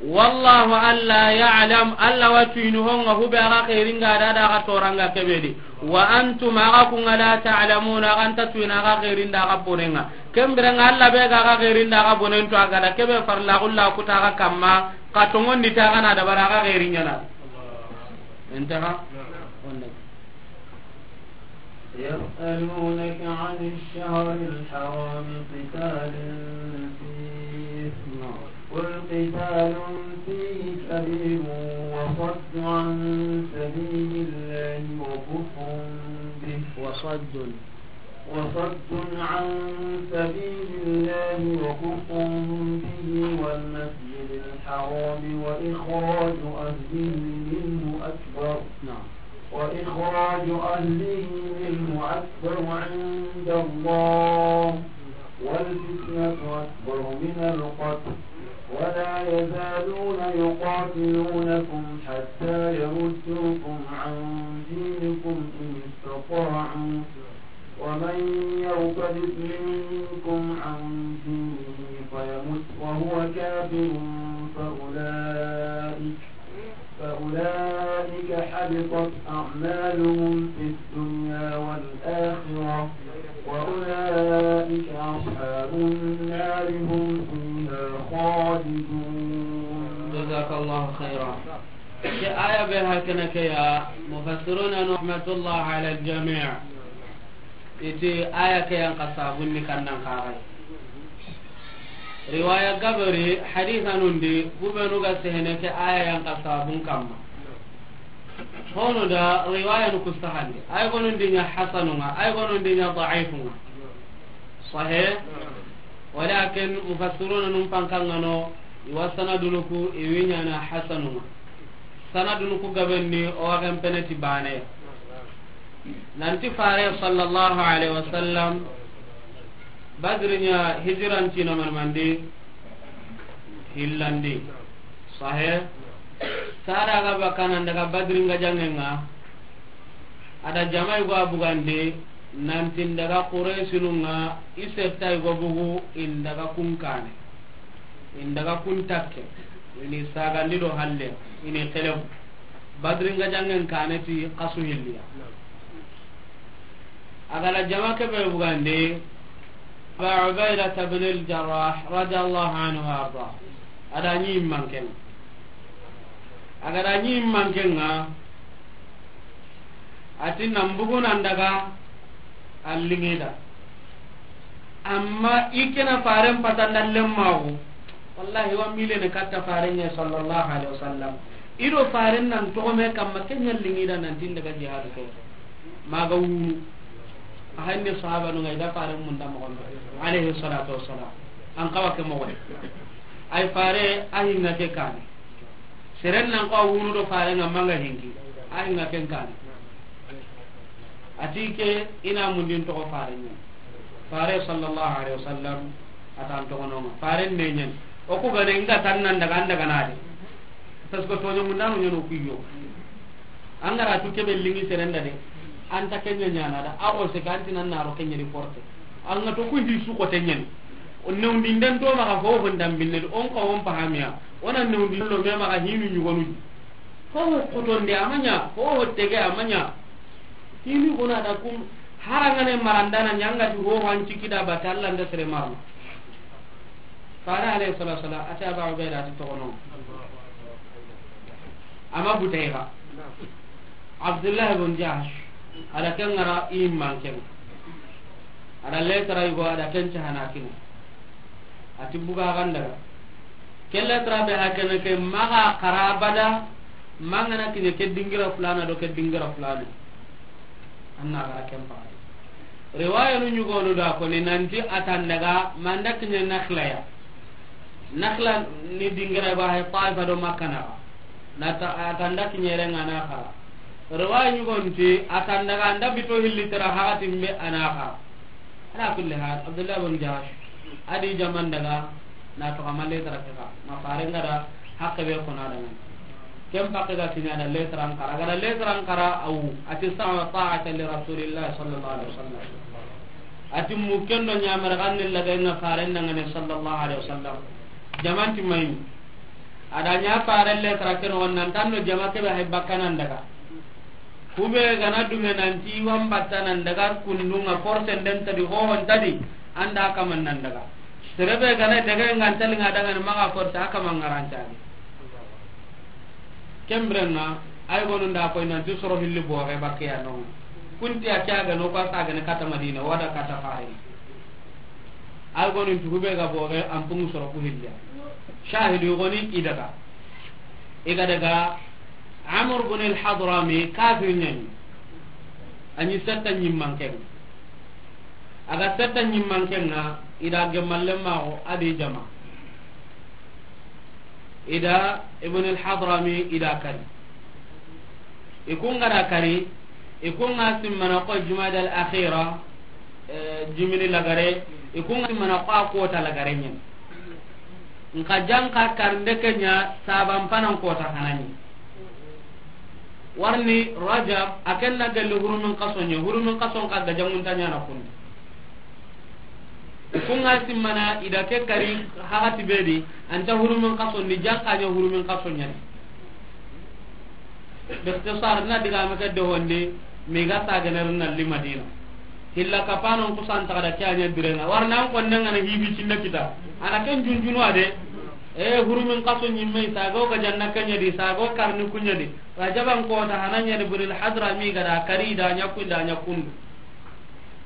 Wallahu, Allah, ya'lam, Allah wa tuyini ho ŋa hu be a ga khairin ŋa da, a da a ga toran ŋa ke be di. Wa antum, a ga ku ŋa, la ta'lamuna, a ga nta tuyini a ga khairin da a ga bonen ŋa. Ken biren ŋa Allah be ga a ga khairin da a ga bonen tu a ga da ke be farla gulla ku ta a ga kamma. Ka tongondi ta gana dabara ga xeeri ɲana. Intaha. Onna. يسألونك عن الشهر الحرام قتال فيه، قل قتال فيه كبير وصد عن سبيل الله وكفر به، وصد. وصد عن سبيل الله وكفر به والمسجد الحرام وإخراج أهله منه أكبر، نعم. وإخراج أهله منه أكبر عند الله والفتنة أكبر من القتل ولا يزالون يقاتلونكم حتى يردوكم عن دينكم إن استطاعوا ومن يرتد منكم عن دينه فيمت وهو كافر فأولئك، فأولئك حبطت أعمالهم في الدنيا والآخرة وأولئك أصحاب النار هم فيها خالدون. جزاك الله خيرا. Ke aya be hakana ke ya, mufassiruna rahmatullah ala al-jami'. Iti aya ke yan ka sabun ni kannan kaxay. Riwaya gabari hadithanun di, kubenu ga sehene ke aya yan ka sabun kamma. Hono da riwaya nu ku sahandi. Ay gonun di ɲa hasanunga, ay gonun di ɲa da'ifun ŋa. Sahih? Walakin mufassiruna num pankangano, iwa sanadunu ku, iwi ɲana hasanunga. Sanadunu ku gabenni, o wagen peneti bane. Nanti fare sallallahu alaihi wasallam, Badri ɲa hijiran cina manmandi, hillandi. Sahih? Sada ga bakana daga Badri nga jangenga, ada jamai go bugandi, nanti daga Qurayshinu nga, isetta go bugu, indaga kunkane. Indaga kuntakke. Ini sagandi do halle. Ini kelebu. Badri nga jangen kane ti kasu hilliya. Agala jama kebe bugandi, Aba Ubaida ibn al-Jarrah radiyallahu anhu wa arda. Ada ɲi manken. Agada ɲi manken nga, ati nan bugu nan daga allingida. Amma i kena faren patanda lemmaxu. Wallahi, wa milene katta faren ɲa sallallahu alaihi wasallam. Ido faren nan togome kamma kenya lingida nan tin daga jihadu ke. Maga wunu. A hanni sahabanun ŋa i da Faaren munda moxon be, alayhi salatu wassalam. An xawa ke moxo de. Ay Faare, a hinŋa ke kaane. Seren nan xawa wunu do Faaren ŋa ma ŋa hinki. A hinŋa ken kaane. A ti ke i na mundin toxo Faaren ɲa. Faare sallallahu alayhi wasallam, a ta an toxonon ŋa. Faaren ne ɲa ni. O ku ga ne ŋa tan nan daga, an daga na de. Parce que toɲo mundanu ɲa no ku yo. An ga ra tu ke be lingi seren da de. An ta ke ɲa ɲaana da. A xo se kan ti nan na ro ke ɲa di porte. An ga to ku hi su xote ɲa ni. O newndi ndan to maxa fo fo ndan binne, on ka on pahamiya. O na newndi lo me maxa hinu ɲugonu. Fo fo xotonde a ma ɲa, fo fo tege a ma ɲa. Hinu gona da kum, harangane marandana ɲa ŋa ti fo fo an ciki da bata Alla nda sere marana. Faare alayhi salatu wassalam, a ti Aba Ubaida, a ti toxono. A ma butayxa. Abdullah ibn Jahsh, a da ken ŋara i manken. A da lettre yugo, a da ken cahana kini. A ti buga xan daga. Ke lettre be hakene ke maxa xara abada, ma ŋa na kiɲe ke dingira fulana do ke dingira fulana. An na xara ken paxati. Riwaya nu ɲugonu da ko ni nanti a ta an daga ma an da kiɲe Nakhla ya. Nakhla ni dingira ba hay Taifa do Makka na. Na ta, a ta an da kiɲe renga na xara. Riwaya ɲugonu ti a ta an daga an da bito hilli tara haxati mbe a na xara. Ala kulli hal, Abdullah bin Jahsh, a di jaman daga, na to kamalle tara ke ka, ma Faaren ŋa da hakke be ko na da ŋa. Ken pakke ga kiɲa da lettre an xara, ga da lettre an xara awu, a ti sama ta'ata li Rasulillah sallallahu alaihi wasallam. A ti mu ken do ɲamar ganne la ga ina Faaren da ŋa ne sallallahu alaihi wasallam. Jaman ti mai. A da ɲa Faaren lettre ke no nan tan do jama ke be hay bakkanan daga. Kube gana dunge nanti wan batta nan daga kundunga force nden tadi hohon tadi anda kaman nan daga. Serebe gana daga ngan tali nga daga ni maga force aka mangaranta ni. Kembrenga ay gonu nda koy nanti soro hilli boge bakke ya non. Kunti a kya ga no ko sa ga ne kata Madina wada kata Faare. Ay gonu nti kube ga boge an pungu soro ku hilli. Shahidu goni i daga. I ga daga Amr bin al-Hadrami, kafir ɲa ni. A ɲi setta ɲimmanken. A ga setta ɲimmanken ŋa, i da gemmalle maxo a di jama. I da Ibn al-Hadrami, i da kari. I kun ga da kari, i kun ŋa simmana ko Jumada al-Akhira, eh, jimini lagare, i kun ŋa simmana ko a kota lagare ɲen. Nka janka karnde ke ɲa saban panan kota hanani. Warni Rajab, a ken na gelli hurumin kaso ɲa, hurumin kaso nka gajangunta ɲa na kundi. Kun ŋa simmana i da ke kari hagati be di, anta hurumin kaso ni janka ɲa hurumin kaso ɲa ni. Bikhtisar na diga me ke do honde, me ga ta ganar na li Madina. Hilla kapanon kusan ta da kya ɲa birenga. Warna an kon nan ana hibi cinna kita. Ana ken junjunu ade. E hurumin kaso ɲimme sago ga janna kanya di sago karni kunya di. Rajaban kota hananya di buril hadra mi ga da kari da ɲa kun da ɲa kun.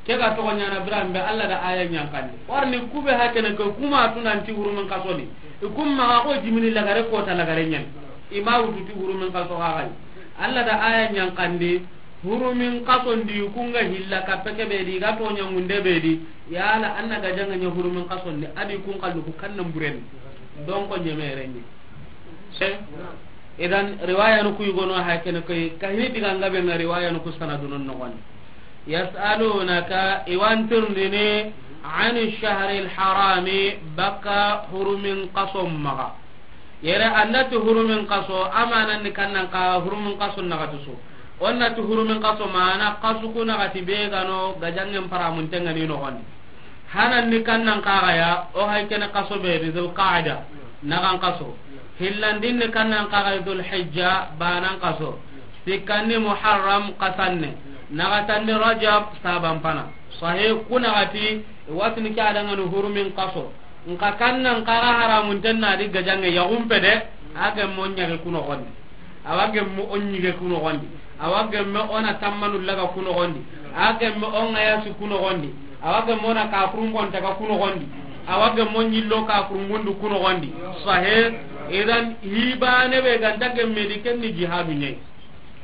Ke ga toxo ɲana biran be Alla da aya ɲankandi. Warni kube hakene ke kuma tunanti hurumin kaso ni. I kum maxa ko jimini lagare kota lagare ɲen. I ma wutu ti hurumin kaso xa xay. Alla da aya ɲankandi hurumin kaso ndi kun ga hilla kappe ke be di ga to ɲangunde be di. Yala anna ga janga ɲa hurumin kaso ndi a di kun kallu ku kannan buren. Donc ɲemere ni. Se. Idan riwaya no ku yugono hakene ke kahini diga ngabe nga riwaya no ku sanadunun no gon. Yas'alunaka, i wa an tirindini, ani shahril harami, baka hurumin kaso maxa. Yere an da ti hurumin kaso, amanan ni kannan ka hurumin kaso naxati su. O na ti hurumin kaso mana kasu ku naxati be ga no gajangen paramunten ga ni noxondi. Hanan ni kannan kaxaya, o hay kene kaso be di Dhul Qa'da, naxan kaso. Hillandin ni kannan kaxaya Dhul Hijja, banan kaso. Sikkanni Muharram kasanne, naxatanni Rajab saban pana. Sahi ku naxati, watini ke adangani hurumin kaso. Nka kannan kaxa haramunten na di gajange yaxumpe de, a gemme o ɲaxe ku noxondi. Awa gemme o ɲige ku noxondi. Awa gemme o na tammanu laga ku noxondi. A gemme o ŋayasi ku noxondi. Awa gemme o na kafurungontaga ku noxondi. Awa gemme o ɲillo kafurungundu ku noxondi. Sahi, idan hibane be ganta gemme di kenni jihadu ɲayi.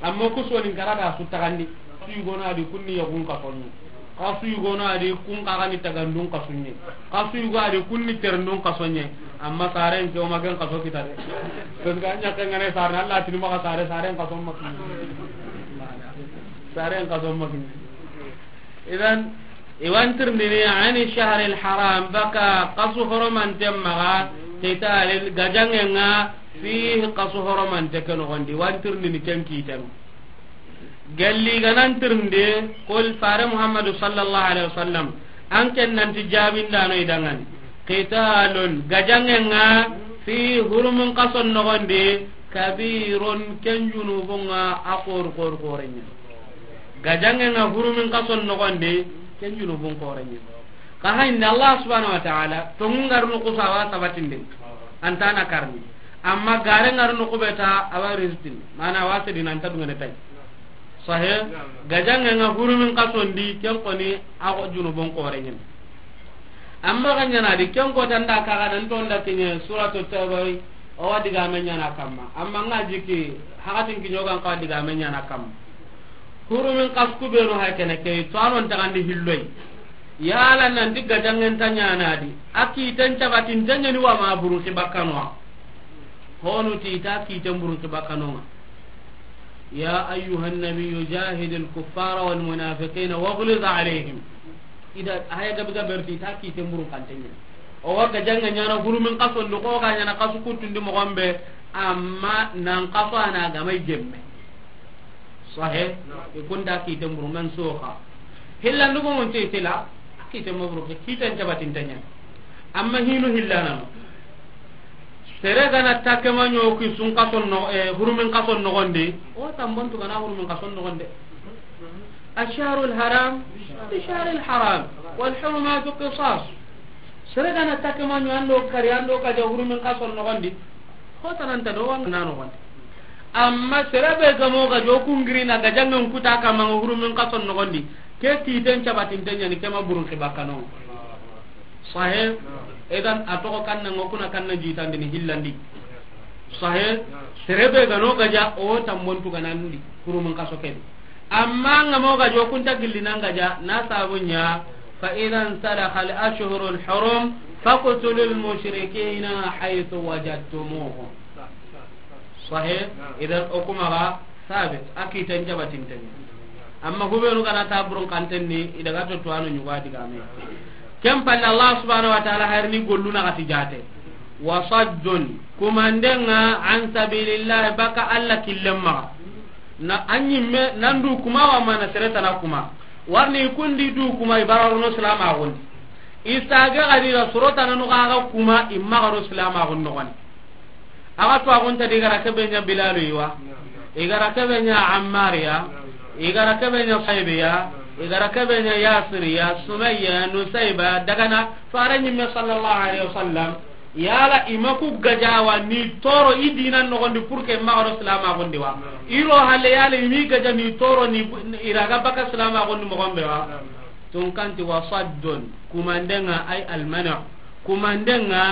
Amma ku sonin kara da su taxandi, su yugona di kunni yaxun kasonni. Xasu yugo no a di kun xa ga ni tagandun xasu ɲi. Xasu yugo a di kun ni terendun xasu ɲi. Amma saren ke o ma ken xaso kita de. Parce que a ɲa ke ŋa ne saren, Allah tini maxa sare, saren xaso ma kini. Saren xaso ma kini. Idan, i wa an tirindini ani shahril haram, baka xasu horomanten maxa, qitalin, gajaŋen ŋa, fihi, xasu horomante ke noxon di, i wa an tirindini ken kiten. Gelli ga na an tirindi, qul, fare Muhammadu sallallahu alaihi wasallam, an ken nanti jaabindaano i danŋa ni. Qitalun, gajaŋen ŋa, fihi, hurumin xason noxon di, kabirun, ken junubun ŋa a xoore, xoore, xoore ɲa. Gajaŋen ŋa hurumin xason noxon di, ken junubun xoore ɲa. Xa hayni Allah subhanahu wa ta'ala, tonŋun ga ri noxu su a wa sabatindi, an ta na karni. Amma garen ga ri noxu be ta, a wa risitindi. Mana a wa sedini, an ta duŋene tay. Sahe, gajaŋen ŋa hurumin xason di, ken xoni, a xo junubun xoore ɲa. Amma ga ɲaana di, ken ko tanda ka ga nan tonda kiɲe, suratu Tawba, o wa digame ɲaana kamma. Amma ŋa jiki, hakatin kiɲo ga n xa digame ɲaana kamma. Hurumin xasu ku be no hay kene ke, to a non tagandi hilloy. Yala nanti gajaŋen ta ɲaana di, a kiten cabatinte ɲa ni wa ma burun xi bakkano wa. Honu ti i ta kiten burun xi bakkano ŋa. يا أيها النبي جاهد الكفار والمنافقين واغلظ عليهم. Ida haya gabe gabe ri ti i ta kiten burun xanten ɲa. O wa gajaŋe ɲaana hurumin xason di, xo ga ɲaana xasu kutun di moxon be, amma nan xaso a na ga ma i gemme. Sahe, i kun ta kiten burun, mansukha. Hillandu ko mun ti tila, kiten ma burun, kiten cabatinte ɲa. Amma hinu hillana no. Sere ga na ta ke ma ɲo ki sun xason no, eh, hurumin xason noxon di, o tambon tu ga na hurumin xason noxon di. الشهر الحرام بشهر الحرام والحرمات قصاص. Sere ga na ta ke ma ɲo an do kari, an do gaja hurumin xason noxon di, xo tananta do wa na noxon di. Amma sere be ga mo gajo kungiri na gajaŋen kuta kamma hurumin xason noxon di, ke kiten cabatinte ɲa ni, ke ma burun xi bakkano. Sahe, idan a toxo kanna ŋa, o kuna kanna jitandini hillandi. Sahe, sere be ga no gaja, o tambon tu ga na ndi, hurumin xaso ke di. Amma ŋa mo gajo kun ta gilli nan gaja, na sabu ɲa, فإذا انسلخ الأشهر الحرم فاقتلوا المشركين حيث وجدتموهم. Sahe, idan o kuma ga sabit, a kiten cabatinte ɲa. Amma hubenu ga na ta burun xanten ni, i daga to tuwano ɲugo a digame. Ken palle Allah subhanahu wa ta'ala hayrini gollu na xati jate. وصد, kumanden ŋa, عن سبيل الله, baka Allah killen maxa. Na a ɲimme, nan du kuma wa mana sere tana kuma. Warni kun di du kuma, i bara ro no silamaxun di. I sage ga di ra soro tana no ga kuma, i maxa ro silamaxun noxon di. A ga tuwaaxunta di, i ga ra ke be ɲa Bilalu yi wa, i ga ra ke be ɲa Ammar ya, i ga ra ke be ɲa Suhayb ya, i ga ra ke be ɲa Yasir ya, Sumayya, Nusayba, daga na fare ɲimme sallallahu alaihi wasallam. Yala i ma ku gaja wa ni toro i dinan noxon di pour que maxa ro silamaxun di wa? I ro halle yala i mi gaja ni toro ni i ra ga baka silamaxun di moxon be wa? Tunkanti وصد, kumanden ŋa, ay المنع, kumanden ŋa,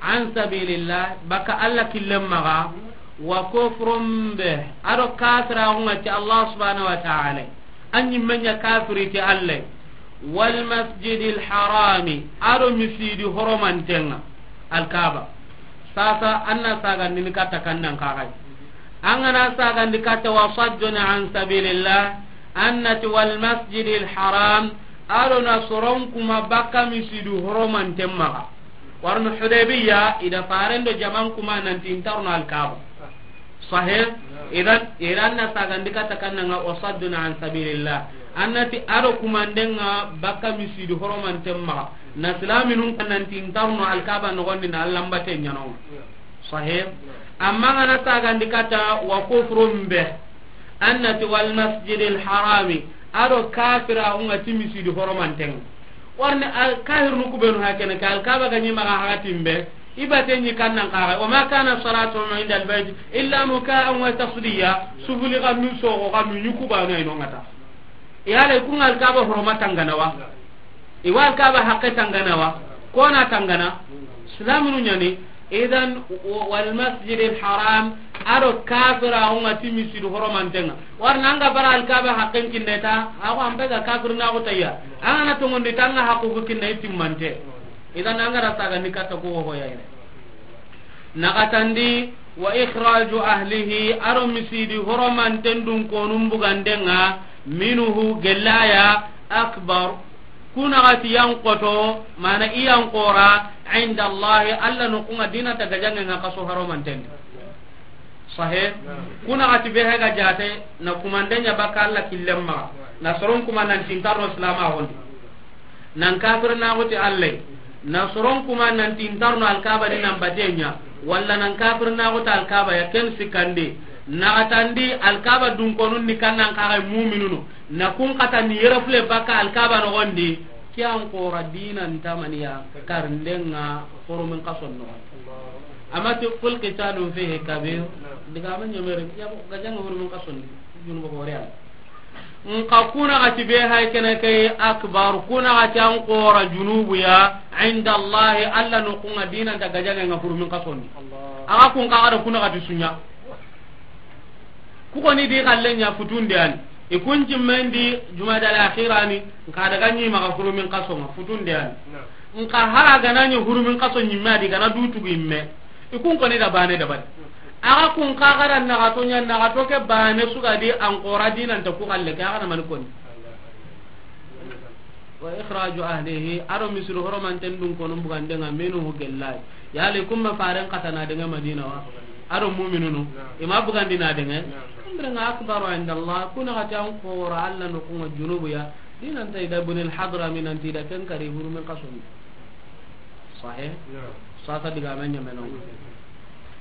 عن سبيل الله, baka Allah killen maxa, وكفر به, a do kafiraxun ŋa ti Allah subhanahu wa ta'ala, a ɲimme ɲa kafiri ti Allah, والمسجد الحرام, a do misidi horomanten ŋa, Alkaaba. Sasa an na sagandini katta kannan kaxay. An ga na sagandi katta وصد عن سبيل الله, an na ti والمسجد الحرام, a do na soron kuma baka misidi horomanten maxa. Warno Hudaybiya, i da faren do jaman kuma nanti i nta ro no Alkaaba. Sahe, idan, iran na sagandi katta kannan ŋa وصد عن سبيل الله. An na ti a do kumanden ŋa baka misidi horomanten maxa. Na silaminun kan nanti i nta ro no Alkaaba noxon di na Alla n bate ɲa no. Sahe. Amma an ga na sagandi katta وكفر به, an na ti والمسجد الحرام, a do kafiraxun ŋa ti misidi horomanten ŋa. Warni al-, kafirinu ku benu hakene ke, Alkaaba ga ɲi maxa hakatin be, i bate ɲi kannan kaxa, وما كان صلاتهم عند البيت إلا مكاء وتصدية, sufuli xannu, soxo xannu, ɲi ku banu ay no ŋa ta. Yala i kun ŋa Alkaaba horoma tangana wa? I wa Alkaaba haqqe tangana wa? Kona tangana? Silaminu ɲa ni. Idan, والمسجد الحرام, A do kafiraaxu ŋa ti misiidu horomanten ŋa. Wari na an ga bara Alkaaba haqqen kinne ta, a xo an be ga kafirnaaxu tayya. An ga na tonŋundi ta an ŋa haqqu ku kinne i timmante. Idan an ga ra saagandi katta ku wo hoya yere. Naxatandi, wa ikhraju ahlihi, a do misiidi horomanten dunkonun buganden ŋa, minhu, gellaya, akbar, ku naxati yan xoto, mana i yan xoora, inda Allahi, Alla noxun ŋa, diina nta gajaŋen ŋa kaso horomanten di. Sahe, ku naxati be he ga jaate, na kumanden ɲa bakka Alla killen maxa, na soron kuma nan ti nta ro silaamaaxun di. Nan kafirnaaxu ti Alla yi, na soron kuma nan ti nta ro no Alkaaba di nan baten ɲa, walla nan kafirnaaxu ti Alkaaba ya ken sikkandi, naxatandi Alkaaba dunkonun ni kannan kaxa muuminunu, na kun xata ni yere fule bakka Alkaaba noxon di, ke yan xoora diina nta maniya karinden ŋa hurumin kason noxon di. Amma ti qul qitalun fihi kabir, digaame ɲemere, ya gajaŋe hurumin kason di, junubu xoore ya. Nxa ku naxati be hay kene ke akbar, ku naxati an xoora junubu ya, inda Allahi, Alla noxun ŋa, diina nta gajaŋen ŋa hurumin kason di. Axa kun kaxa da ku naxati su ɲa. Ku xo ni di xallen ɲa futunde ani. I kun jimmen di Jumada al-Akhira ni, nxa daga ɲi maxa hurumin kason ŋa futunde ani. Nxa hara gana ɲi hurumin kaso ɲimme a di gana du tugu imme. I kun xo ni da baane dabari. Axa kun kaxa da naxato ɲa, naxato ke baane su ga di an xoora diina nta ku xalle ke, axa na mani koni. Wa ikhraju ahlihi, a do misiidu horomanten dunkonun buganden ŋa, minhu, gellay. Yali kumme faren xata na daŋe Madina wa? A do muuminunu. I ma bugandi na daŋe. Ambre ŋa akbaru inda Allah, ku naxati an xoora Alla noxun ŋa junubu ya. Diina nta i da Ibn al-Hadrami nan ti i da ken kari hurumin kason di. Sahe? Sasa digaame ɲemene.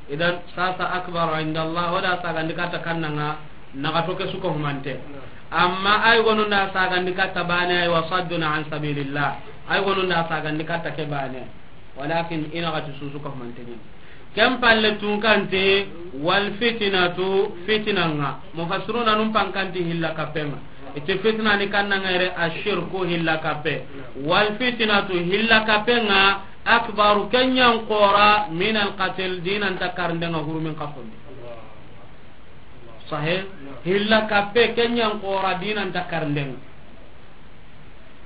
Idan sasa akbar inda Allah, o da saagandi katta kannan ŋa, naxato ke su ko humante. Amma ay gonu nda saagandi katta baane, ay wa saddun an sabilillah. Ay gonu nda saagandi katta ke baane. Walakin i naxati su su ko humante ni. Ken palle tunkante, wal fitnatu, fitna ŋa. Mufassiruna nun pankanti hilla kappen ŋa. I ti fitna ni kannan ŋa yere ashirku hilla kappe. Wal fitnatu hilla kappen ŋa akbaru ken yan xoora min al qatl diina nta karinden ŋa hurumin kason di. Sahe, hilla kappe ken yan xoora diina nta karinden ŋa.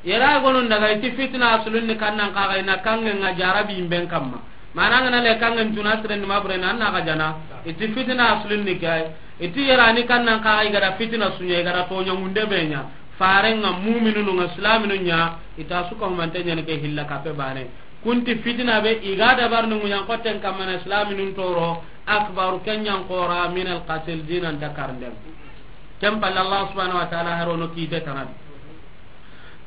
Yere ay gonu nda ga i ti fitna asulun ni kannan kaxa i na kanŋen ŋa jarabi imben kamma. Mana ngana le kanŋen tuna siren ni ma bure na an na ga jana. I ti fitna asulun ni ke ay. I ti yere ni kannan kaxa i ga da fitna su ɲa, i ga da toɲa munde be ɲa. Faren ŋa, muuminunu ŋa, silaaminu ɲa, i ta su ko humante ɲa ni ke hilla kappe baane. Kun ti fitna be i ga da bar ni ŋuɲan xotten kamma na silaaminu toro, akbaru ken yan xoora min al qatl diina nta karinden ŋa. Ken palle Allah subhanahu wa ta'ala haro no kiite tanadi.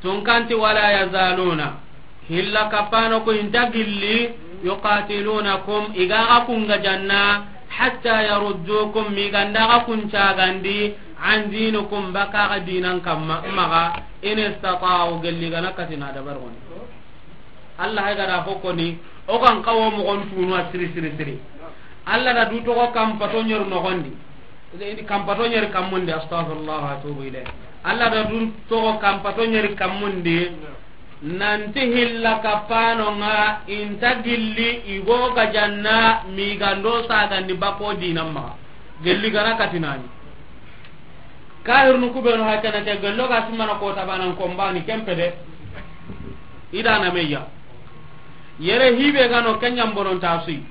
Tunkanti wala yazaluna. Hilla kappano ku i nta gilli, yuqatilunakum, i ga xa kun gajanna, hatta yaruddukum, mi ga nda xa kun cagandi, an dinikum, baka xa diinan kamma, maxa, in istata'u, gelli ga na kati na dabar goni. Allah hay ga da fo koni, o kan kawo moxon tunu a siri siri siri. Allah da du toxo kampato ɲeru noxon di. Kampato ɲeri kammundi, astaghfirullah wa atubu ilayh. Allah da dun toxo kampato ɲeri kammundi. Nanti hilla kappano ŋa i nta gilli i go ga janna mi ga ndo sagandi bako dinan maxa. Gelli ga na kati nani. Kahirnu ku benu hakana ke gello ga simana ko tabanan kombani kempe de. I da na meya. Yere hibe ga no kenyan bonon tasui.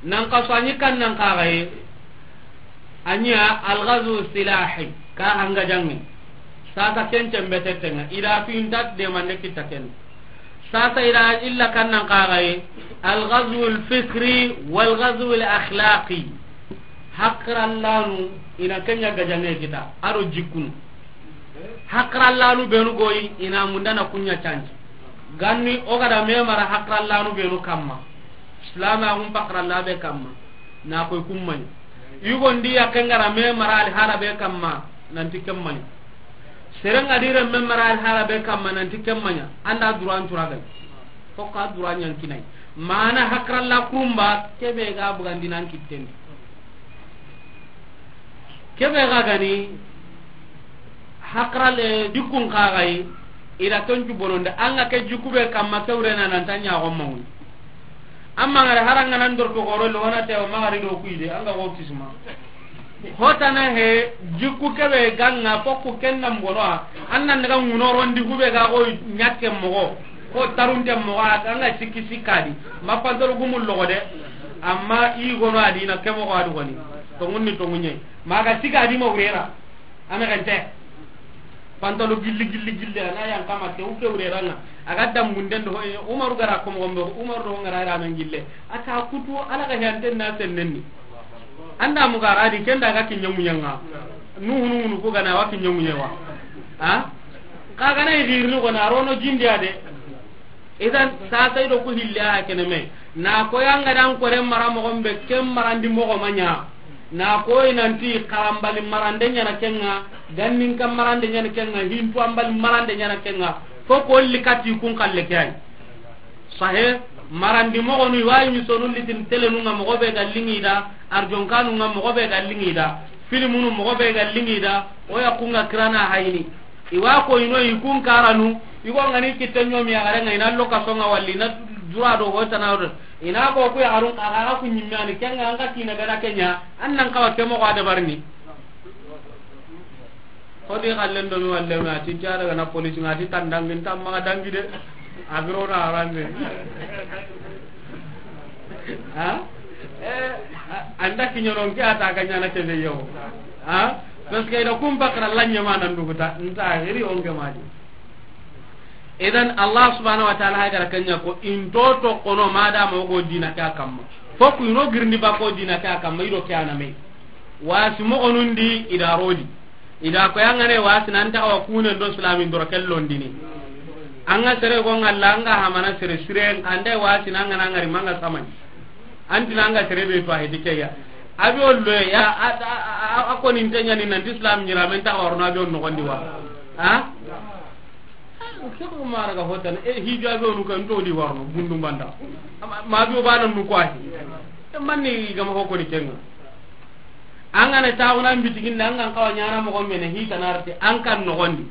Nan kaso a ɲi kan nan kaxaye. A ɲa algazu silahi, ka hanga jangi. Sasa ken tembe tettenga, i da fi inta demande kitta ken. Sasa i da illa kan nan kaxaye, algazu alfikri walgazu alakhlaqi. Hakrallanu, i na kenya gajange kita, a do jikkunu. Hakrallanu benu goyi, i na mundana kunya canji. Ganni o ga da me mara hakrallanu benu kamma. Silamaxun pakralla be kamma, na koy kummani. Yugondi yakke ngara me mara ali hala be kamma, nanti kemmani. Serenga dire me mara ali hala be kamma, nanti kemmani. Anda duran turagay. Fokka duran yankinay. Mana hakralla kurumba, kebe ga bugandinan kittendi. Kebe ga gani, hakrale jikkun kaxayi, i da toncu bononde, anga ke jikku be kamma ke wurena nanta ɲaxon maŋuy. Amma ngare haranga nan dor to goro lo wana te o magari do kuide anga go kisma. Hotana he jikku kebe ganga fokku kenna mbono a. Annan daga ngunorondi hube ga go nyakke mogo. Ko tarunte mogo a anga sikki sikkadi. Ma pantol gumul logo de. Amma i gono adina ke mogo adu goni. Tongunni tongunye. Maga sikadi mo wurera. Ana gante. Pantalo gilli gilli gilli ana yan kama te uke wure ranga. Aga dambunden do hoye Umaru gara ko mo gombe Umaru do ngara ira men gille. Aka kutu ala ga hante na sennenni. Anda mu gara di kenda ga kinyamu nyanga. Nuhu nuhu ko gana wa kinyamu nyewa. Ha? Ka gana igirni ko na rono jindi ade. Idan sasa ido ku hille a kene me. Na ko yanga dan ko re mara mo gombe kem marandi mo go manya. Na koy nanti karambali marande ɲana kenga, gannin kan marande ɲana kenga, hintu ambali marande ɲana kenga, fo ko likati kun kalle kay. Sahe, marandi mogonu iwayi misonu litin telenu nga mogo be ga lingi da, arjonkanu nga mogo be ga lingi da, filimunu mogo be ga lingi da, oya kunga kirana hayni. Iwa ko ino ikun karanu, igo ngani kitte ɲomi ya garenga ina loka songa walli na dura do hotana. Ina ko ku yaxarun xa xa ku ɲimme ani kenga an ka kina gana kenya an nan kawa ke moxo a dabarini. Xodi xallen do mi walle ma ti jara gana police ngati tandangin tamma dangi de. Agro na arande. Ha? Eh, anda kinyoron ke ata ganya na kebe yo. Ha? Parce que ida kum bakra lanya ma nan duguta nta hiri on ke madi. Idan Allah subhanahu wa ta'ala hay gara kanya ko into to kono madama ogo dina ka kamma. Foku ino girndi ba ko dina ka kamma ido ke aname. Wasi mo onundi ida rodi. Ida ko yangane wasi nan ta wa kunen do islamin doro kellondini. Anga sere go ngalla anga hamana sere sire ande wasi nan ngana ngari manga samani. Antina anga sere be to hedi keya. Abi ollo ya a ko nin tanya ni nan islam nyira men ta warno abi on no gondi wa. Ha? Ke ko mara ga hotan e hijo abi onu kan to di warno bundu banda. Ma bi o bana nu ko ahi. E manni gama ko ko ni kenga. An ga na taxuna n bitigin da an ga n xawa ɲana moxo mene hitanarti an kan noxondi.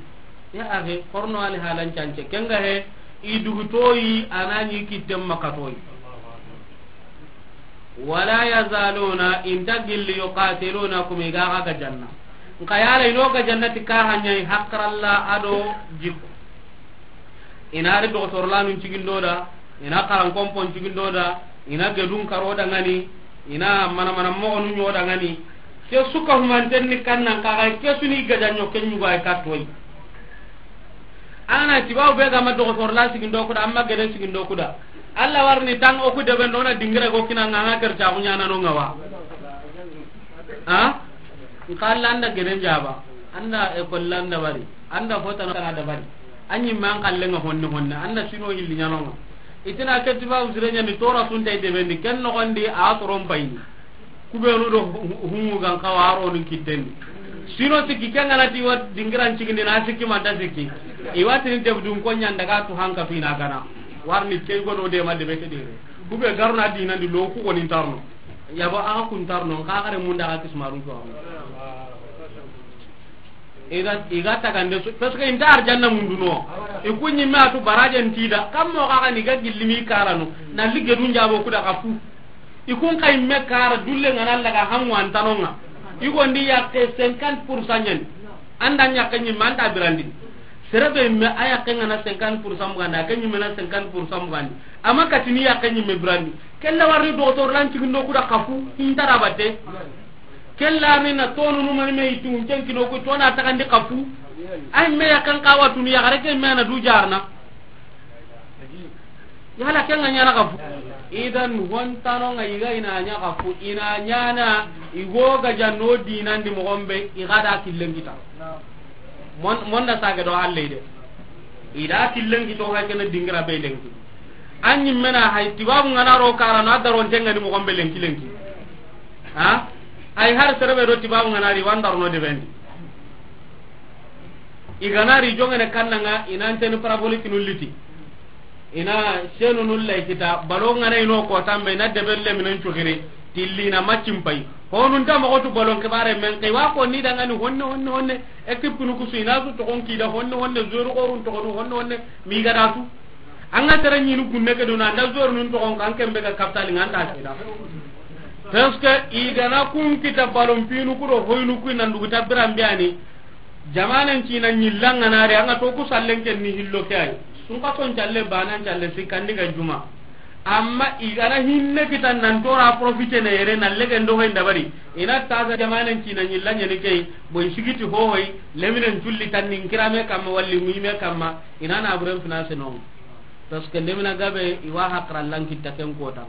Ya axe horno ali halan cance kenga he. I dugutoyi anani kittem makatoyi. Wala yazaluna inta gilli yuqatilunakum i ga xa gajanna. Nka yala ino gajannati ka haɲayi hakralla ado jikko. Ina ri doxotorlanu cigindo da, ina xarankonpon cigindo da, ina gedun karo dangani, ina manamana moxonu ɲo dangani. Ke suka humanten ni kannan kaxay ke suni gajanɲo ke ɲugayi kattoyi. Ana tibaw be gama doxotorla sigindo kuda amma geden sigindo kuda. Allah warni tan oku deben dona dingira go kina nganga kerta kunyana no ngawa. Ha? Nka Allah anda geden jaba, anda e kollanda bari, anda fotana kana da bari. Anyi man kallenga honne honne anda sino hilli ɲanonga. Itina ketiba usire ɲani tora sunta ide bendi ken no gondi a toron payni. Kubenu do humu gan kawa aronu kitten. Sino sikki kengana ti wa dingiran cigindi na sikki manta sikki. Iwatini debdun ko ɲanda ga tu hanka fina gana. Warni key gono de ma debe ke dire. Kube garuna dinandi lo ku koni ntarno. Yabo aga kun tarno nka gare munda ga kismarun to. Idan iga tagande su parce que inta arjanna munduno. Ikunyi me atu barajen tida kammo ga ni ga gillimi karanu na ligedun jabo kuda kafu. Ikun kay me kara dulle ngana laga hamu antanonga. Igondi yakke cinquante pour cent ɲani. Anda ɲakke ɲimme anta birandi. Serebe me a yakke ngana cinquante pour cent bugandi ake ɲimme na cinquante pour cent bugandi. Ama katini yakke ɲimme birandi. Kella warni doxotor lan cigindo kuda kafu intara batte. Kella ni na tonu numani me itu ncen kino ku tona takandi kafu. Ay me yakan kawa tunu ya gare ke me na du jarna. Yala kenga ɲana kafu. Idan hontano nga iga ina ɲa kafu ina ɲana. Igo gajanno dinandi moxo be iga da killen kita. Mon monda sage do halle de. Ida killen kito ha kene dingira be lenki. Anyi mena hay tibabu ngana ro kara na daron tenga ni moxo be lenki lenki. Ha? Ay har serebe do tibabu ngana ri wandar no de bendi. Igana ri jongene kannanga inanteni parabolique nu liti. Ina senu nu lay kita balo ngana ino ko tambe na debelle minan cugiri. Tillina macin pay. Honun ta moxo tu balon kibare men kay wa ko ni dangani honne honne honne. Équipe nu kusu ina su toxon kida honne honne, zoro qorun toxonu honne honne. Mi gada su. An ga tere ɲini kunne ke duna, an da zor nun toxon kan, ken be ga capital nga an ta sida. Parce que i gana kun kita ballon pinu ku do hoynu ku nan dugu ta biran biyani. Jamanen cina ɲillanga na re, an ga to ku sallen ken ni hillo ke ay. Sun ka son calle, banan calle, sikandi ga juma. Amma i gana hinne kita nan tora profite ne yere, na legen do hoy ndabari. Ina ta sa jamanen cina ɲilla ɲani key, boy sigiti ho hoy, leminen culli tanni kirame kamma, walli muhime kamma, ina na buren finance non. Parce que lemina gabe i wa hakra lan kitta ken kotan.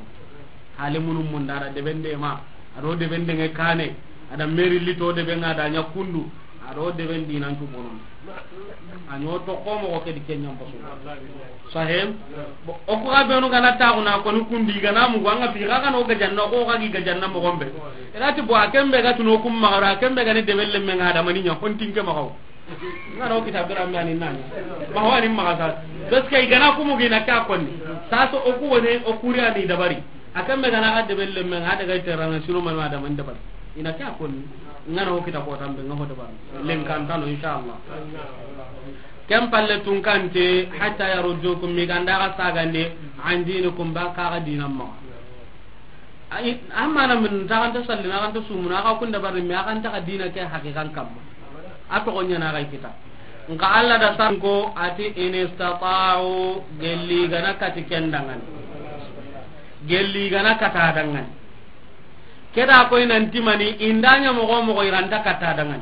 Hali munum mundara debende ma, ado debende nge kane, ada meri lito debe nga da ɲa kundu, ado deben dinan tu bonon. A ɲo to ko mo ko ke di ken ɲam basu. Sahem. Bo, o ko ga benu gana ta ko na ko ni kundi gana mu ganga fi ga gana o ga janna ko ga gi ga janna mo gombe. Ina ti bo a kembe ga tuno kum magara, a kembe ga ni debelle men ga da mani ɲa hontin ke magaw. Nga ro kita bira mi ani nanya. Ma ho ani maga sa. Parce que i gana kumu gina ka konni. Sa so o ku wone o kuri ani dabari. A kembe gana ga debelle men ga daga teranga sino man ma da man dabari. Ina ka konni. Nga ro kita ko tambe nga ho dabari. Len kan tano inshallah. Kem palle tun kante hatta yaruddukum mi ganda ga sagande an dinikum ba ka ga dinam ma. Ay, amana min ta kan ta sallina, kan ta sumuna, ka kunda bari mi kan ta dina ke haqiqan kamma. A to gonya na ga kita. Nka Allah da san ko ati in istata'u, gelli gana kati kendangan. Gelli gana kata dangan. Keda ko inan timani indanya mogo mogo iranta kata dangan.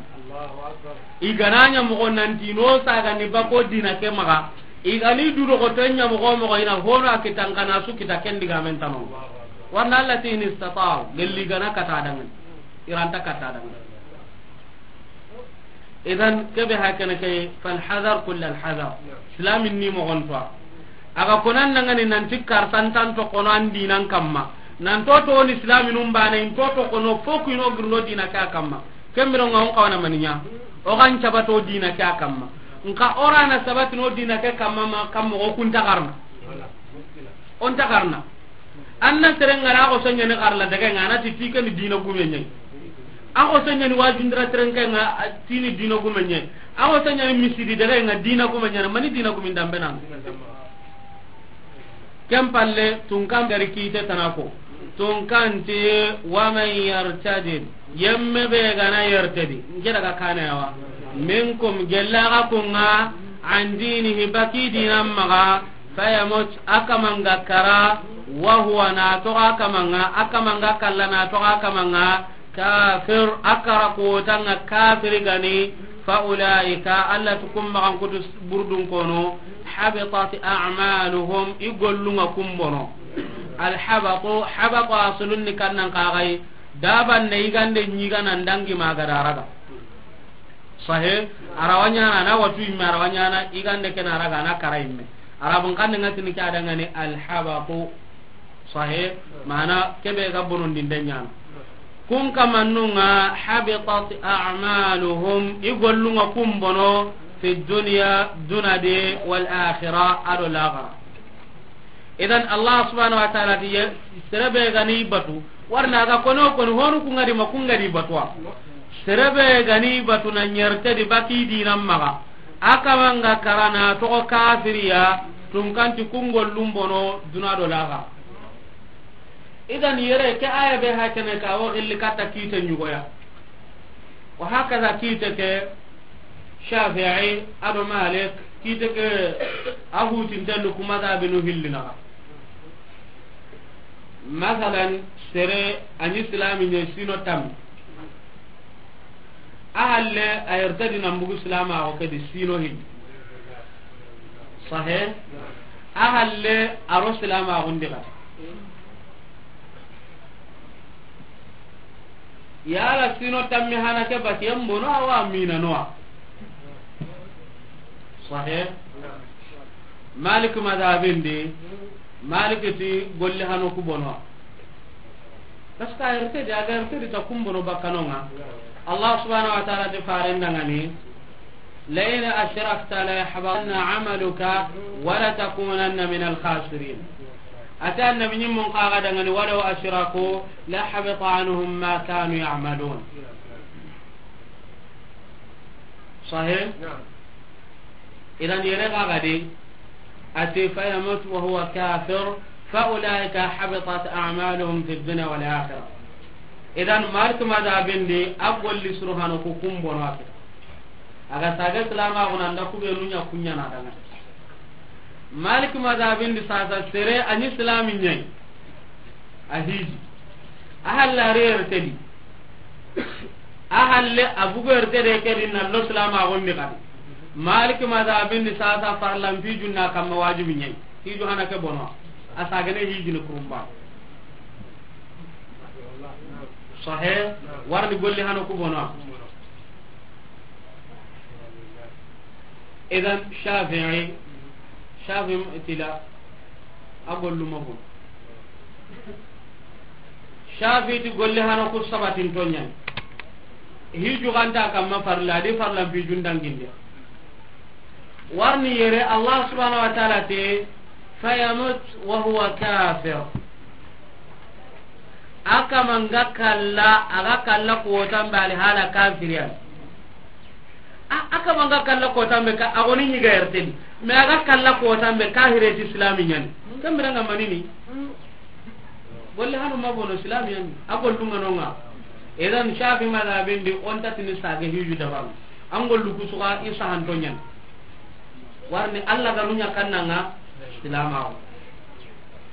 I gananya mogo nanti no saga ni bako dina ke maga. I gani du do ko tenya mogo mogo ina hono a kitan kana su kita kendi ga men tano. Warna Allah ti in istata'u, gelli gana kata dangan. Iranta kata dangan. Idan kebe hakana kay fal hadar kull al hadar. Islamin ni mo gonto. Aga konan nangani nanti karsantan to kono an dinan kamma. Nan to to ni islamin umbane in to to kono foku ino girno dina ka kamma. Kembiro nga on kawana maninya. O kan cabato dina ka kamma. Nka orana sabatino dina ka kamma ma kamma o kun tagarna. On tagarna. Anna sere ngara ko sonya ne karla daga nga na ti tike ni dina gumenye. A ko sonya ni wajundra sere nga tini dina gumenye. A ko sonya ni misidi daga nga dina gumenye, mani dina gumin dambe nan. Kem palle tunkan dari kite tanako. Tunkan ti wa man yartadid. Yemme be gana yartadi. Nge daga kana yawa. Minkum gella ga kunga an dinihi baki dinam maga. Fayamut, a kamanga kara, wa huwa na toga kamanga, a kamanga kalla na toga kamanga, kafir, a kara kotanga kafiri gani, fa ulaika, Allah tu kum magan kutu burdun kono, habitat a'maluhum, i gollunga kumbono. Al habatu, habatu asulun ni kannan kagai, daban ne igande nyiga nan dangi magadaraga. Sahe, arawanyana na watu imme arawanyana igande kena raga na kara imme. Arabun kan nga tini ke adangani alhabatu. Sahe, mana kebe ga bonon dinde nyana. Kun kamannunga habitat a'maluhum, i gollunga kumbono fi dunya, dunade, wal akhirah, ado lakhira. Idan Allah subhanahu wa ta'ala ti ye, serebe gani batu, warna ga kono kono honu kungadi ma kungadi batuwa. Serebe gani batu na nyerte di baki dinam maga. Akamanga karana togo kafiriya, tunkanti kungol lumbono duna do laga. Idan yere ke aya be hakene ka wo gilli katta kite nyugoya. Wa hakaza kite ke Shafi'i, ado Malik, kite ke a hutinte luku madhabinu hilli naga. Masalan, sere ani islami nye sino tam. A halle a yertadi nan bugu silamaxo ke di sino hilli. Sahe? A halle a ro silamaxun di xati. Yala sino tammi hana ke batiyen bono awa minanoa. Sahe? Malik madhabin di, Malik ti golli hano ku bonoa. Parce que a yertedi, a ga yertedi ta kumbono bakkanonga. Allah subhanahu wa ta'ala ti farendangani, لئن أشركت ليحبطن عملك ولتكونن من الخاسرين. Ata annabi nyimmun kaga dangani, ولو أشركوا لحبط عنهم ما كانوا يعملون. Sahih? Idan yere kaga de, A ti, "Fayamut wa huwa kafir, fa ulaika habitat a'maluhum fi dunya wal akhirah." Idan, Malik madhabin di, a golli suru hano ku kumbono a kita. A ga saga silamaxu na nda kubenu ɲa kuɲana danga. Malik madhabin di sasa sere a ɲi silami ɲa yi. A hiji. A halla rere tedi. A halle a bugu erte de ke di na lo silamaxun di kadi. Malik madhabin di sasa farlan hijun na kamma wajibi ɲa yi. Hiju hana ke bono. A sagane hijini kurumba. Sahe, warni golli hano ku bono. Idan Shafi'i, Shafi'i ti la, a gollu ma bono. Shafi'i ti golli hano ku sabatinto ɲa ni. Hiju ganta kamma farla, a di farlan hijun danginde. Warni yere Allah subhanahu wa ta'ala te, "Fayamut wa huwa kafir." A kama nga kalla, a ga kalla kotan be ali hala kafiriyan. A, a kama nga kalla kotan be ka, a goni ɲi ga erte di. Mais a ga kalla kotan be kahire ti islami ɲa ni. Kambira nga manini. Golle hanu ma bono silamiyan, a gollu nga nonga. Idan Shafi madhabin di on tatini sage hiju dabaru. An gollu kusuga i sahanto ɲan. Warni Allah ga nunya kannanga silamaxu.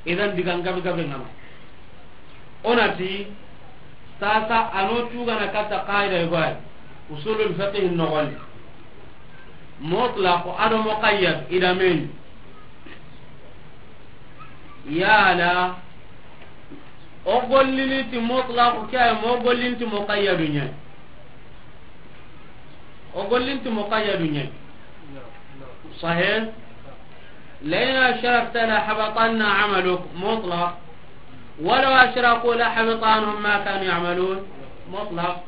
Idan digan gabe gabe ngano. Onati sasa ano tugana katta qaida igwai. Usulul fiqh nogon. Mutlaq ado muqayyad idameni. Yala o gollini ti mutlaq ke ay, mo gollini ti muqayyadu ɲa? O gollini ti muqayyadu ɲa? Sahih. "La'in ashrakta la habatanna amaluk", mutlaq. "Walaw ashraku la habita anhum ma kanu ya'malun", mutlaq.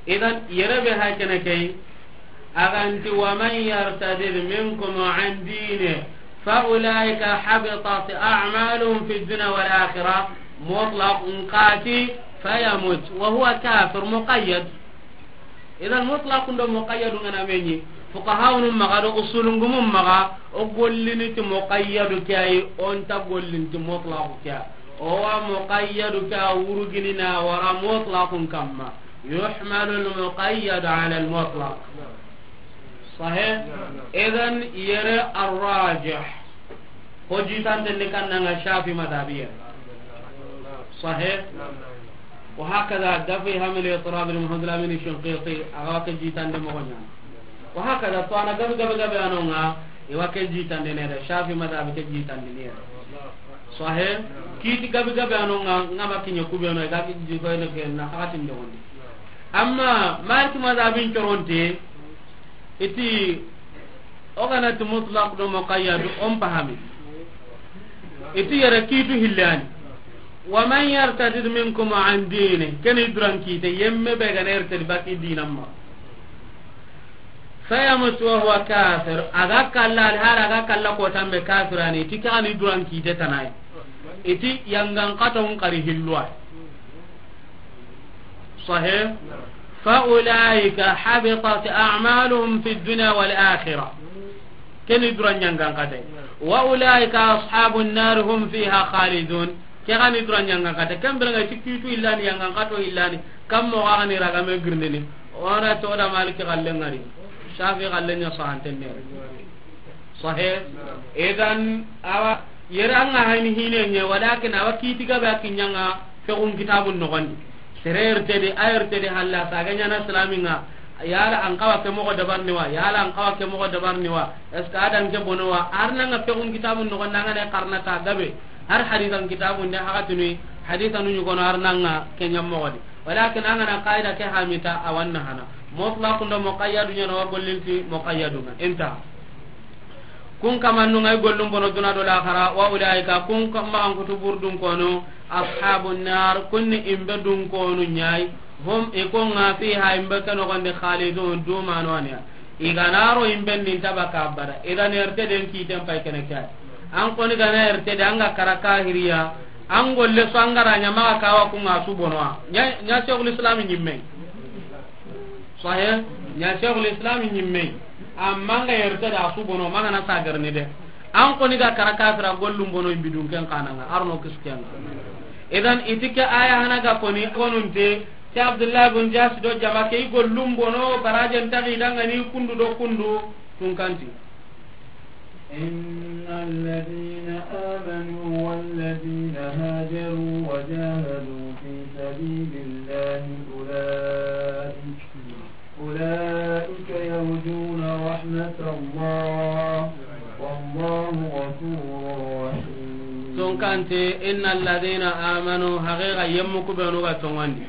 Idan yere be hakene kay, aganti, "Wa man yartadid minkum an dinihi fa ulaika habitat a'maluhum fid dunya wal akhirah", mutlaq. Nqati, "Fayamut wa huwa kafir", muqayyad. Idan mutlaqun do muqayyadu ngana meɲi. Fuqahaunu maxa do usulungumu maxa, o gollini ti muqayyadu ke ay, o nta gollini ti mutlaqu ke ay. O wa muqayyadu ke a wurugini na wara mutlaqun kamma. Yuhmalu al-muqayyad ala al-mutlaq. Sahih? Idan yere ar-rajih. Ho jitande ni kannanga Shafi madhabiya. Sahih? Wa hakada dafi hamil itirab al-Muhammad al-Amin Shinqiti, a ga wa ke jitande moxo ɲa. Wa hakada to ana gabe gabe gabe anonga, i wa ke jitande ne da, Shafi madhabi ke jitande ne da. Sahih? Kiti gabe gabe anonga, nga ma kiɲe kubeno, i ga ki jitande ke na hakatin dogondi. Amma Maliki madhabin coronte, iti, o gana ti mutlaq do muqayyad, on pahami. Iti yere kitu hillani. "Wa man yartadid minkum an dini", keni duran kite, yemme be gana yartadi baki dinamma. "Fayamut wa huwa kafir", a ga kalla, al hara a ga kalla kotan be kafirani, iti kani duran kite tanai. Iti yangan katon kari hilluwa. Sahih? "Fa ulaika habitat a'maluhum fid dunya wal akhirah." Keni duran yangan kate. "Wa ulaika ashabun nar hum fiha khalidun." Ke gani duran yangan kate. Kambira nga ti kitu illani yangan kato illani. Kammo gani ragame girnini. Ona to da Maliki galle ngari. Shafi galle nya sahantenne. Sahih. Idan awa yere anga hayni hine nye, walakin awa kiti gabe a kiɲanga fiqhun kitabun nogondi. Sere ertedi, a ertedi halla saga ɲana islaminga. Yala an kawa ke moxo dabarni wa, yala an kawa ke moxo dabarni wa. Est-ce que adan ke bono wa? Arnanga fiqhun kitabun nogondi, anga ne karna ta gabe. Har hadisan kitabun de hakatuni, hadisanu ɲugono arnanga ke ɲammoxodi. Walakin angana qaida ke hamita, awanna hana. Mutlaqun do muqayyadu ɲana wa gollinti muqayyadu nga. Inta. Kun kamannu ngay gollum bono duna do laxara, wa ulaika, kun ka-, maxan kutu burdun kono, ashabun nar, kunni imbe dun kono ɲay, hum, ikonga fiha, imbe keno gonde khalidun, dumano aniya. Iganaro imbe ninta baka abada. Idan erte den kiten pay kene kay. An koni gana erte de anga kara kahiriya, an golle so angara ɲama kawa kunga su bonoa. Ɲa, ɲa Sheikhul Islam ɲimme. Sahih, ɲa Sheikhul Islam ɲimme. Amma nga yerte da su bono, mangana sagarni de. An koni ga kara kafira gollum bono imbidun ken kananga, arno kiskenga. Idan itike aya hana ga koni gonunte, ti Abdullah bin Jahsh do jama ke gollum bono, barajen tagi dangani kundu do kundu, tunkanti. إن الذين آمنوا والذين هاجروا وجاهدوا في سبيل الله أولئك، أولئك يرجون رحمة الله، والله غفور رحيم. Tunkanti, إن الذين آمنوا, haqiqa yemmu kubenu ga tongondi.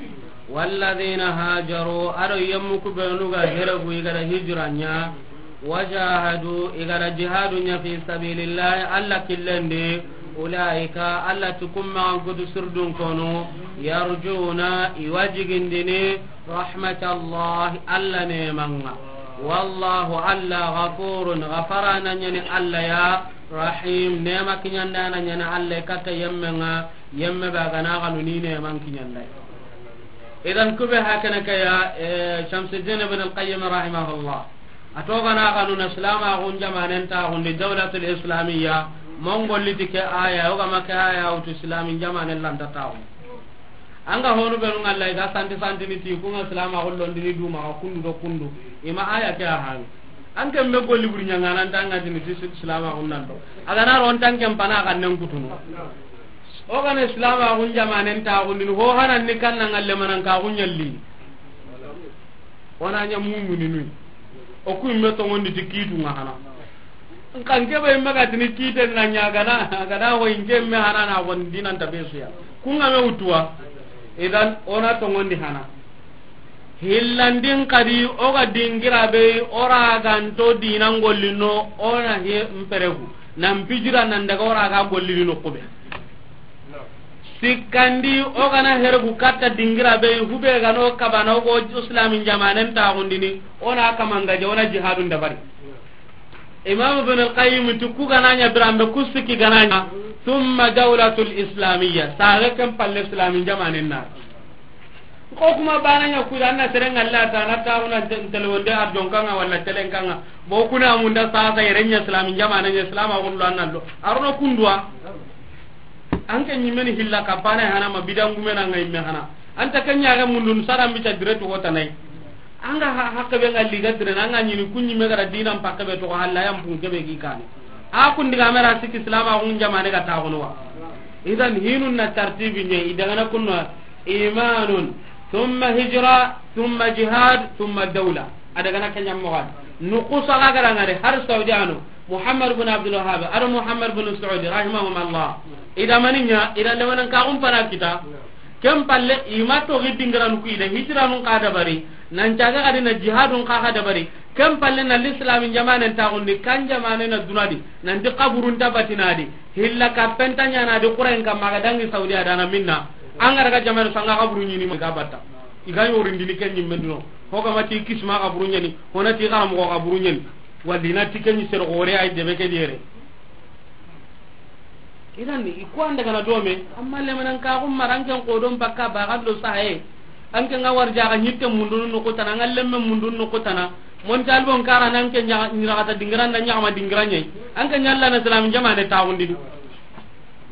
والذين هاجروا, ado yemmu kubenu ga heregu, i ga da hijira ɲa, وجاهدوا, i ga da jihadu ɲa, في سبيل الله, Alla killen di, أولئك, Alla ti kun maxan kutu sirdun konu, يرجون, i wa jigindini, رحمة الله, Alla neeman ŋa. والله, Alla, غفور, gafarana ɲa ni Alla ya, رحيم, neema kiɲandana ɲa ni Alla ya, katta yemmen ŋa, yemme be a ga na xanu ni neeman kiɲanda. Idan kube hakene ke ya, eh, Shamsuddin ibn al-Qayyim rahimahullah. A to ga na xanu na silamaxun jamanen taaxundi, dawlatul islamiyya, mongolli ti ke aya, o ga ma ke aya wutu, silamin jamanen lanta taaxu. An ga honu benu ŋalla, i ga santi santini ti, ku ŋa silamaxu londini duma, xa kundu do kundu. I ma aya ke a hani. An ke be golli buri ɲaŋana, an ta ŋa tini ti si-, silamaxun nan do. A ga na ro, an ta n ke n pana xannen kutunu. O ga na silamaxun jamanen taaxundini, ho hanan ni kanna ŋalle manan ka xun ɲalli. O na ɲa mumininu. O ku imme tongondi ti kiitu ŋa hana. Nka n ke be imme ga tini kiiten na ɲa, a ga na, a ga na ho in ke imme hana na xon dinan ta be su ya. Ku ŋa me wutuwa. Idan o na tongondi hana. Hillandin kadi, o ga dingira be, o ra ga nto dinan gollino, o na he mperegu. Nan pijira nan daga o ra ga gollini no kube. Sikkandi, o ga na heregu katta dingira be, hube ga no kabana, o go islamin jamanen taaxundini, o na kamangaje, o na jihadun dabari. Imam Ibn al-Qayyim ti ku ga na ɲa biranbe, ku sikki ga na ɲa, ثم دولة إسلامية, saga ken palle islamin jamanen na. Ko kuma bana ɲa ku da, an na seren ŋalla ta na taaxu na te-, telewonde arjon kan ŋa walla telen kan ŋa. Bo ku na munda sasa yere ɲa islamin jamanen ɲa, islamaxun lo an nan lo. A ro no kunduwa. An ke ɲimme ni hilla ka bana hana ma bidangume na ŋa imme hana. An ta ke ɲa ga mundun saran bi ta dire to wota nay. An ga ha-, hakke be ŋa liga dire na ŋa ɲini ku ɲimme ga da dinan pakke be to halla yan pun ke be gi kane. A kun diga me ra sikki islamaxun jamane ga taaxunu wa. Idan hinun na tartibi ɲa, i daga na kunno إيمان ثم هجرة ثم جهاد ثم دولة. A daga na ke ɲa moxo di. Nukusa ga ga ra ŋa de har Saudi ano, Muhammad bin Abdul Wahhab, ado Muhammad bin Saudi, rahimahum Allah. I da mani ɲa, i da lemanan ka xun pana kita. Ken palle, i ma toxi dingiran ku, i da hijiranun xa dabari, nan caga ga di na jihadun xa xa dabari. Ken palle na lislamin jamanen taaxundi, kan jamane na duna di, nan ti kaburun ta batina di, hilla kappen ta ɲaana di, Qur'an kamma ga dangi Saudi a da na minna. An ga daga jamane sanga kaburu ɲini ma ga batta. I ga yorindini ken ɲimme dino. Ho ga ma ti kisma kaburu ɲani, ho na ti xaramoxo kaburu ɲani. Walli na ti ken ɲi sere gore ay debe ke di yere. Idan i ku an daga na dome, amma lemanan ka xun mara an ken kodon bakka ba ga do sahaye. An ken ŋa warja ga ɲitte mundunu no kutana, ŋa lemme mundunu no kutana. Mon talbon kara nan ken ɲa-, ɲira kata dingiran da ɲaxama dingiran ɲa. An ken ɲa Alla na islamin jamane taaxundini.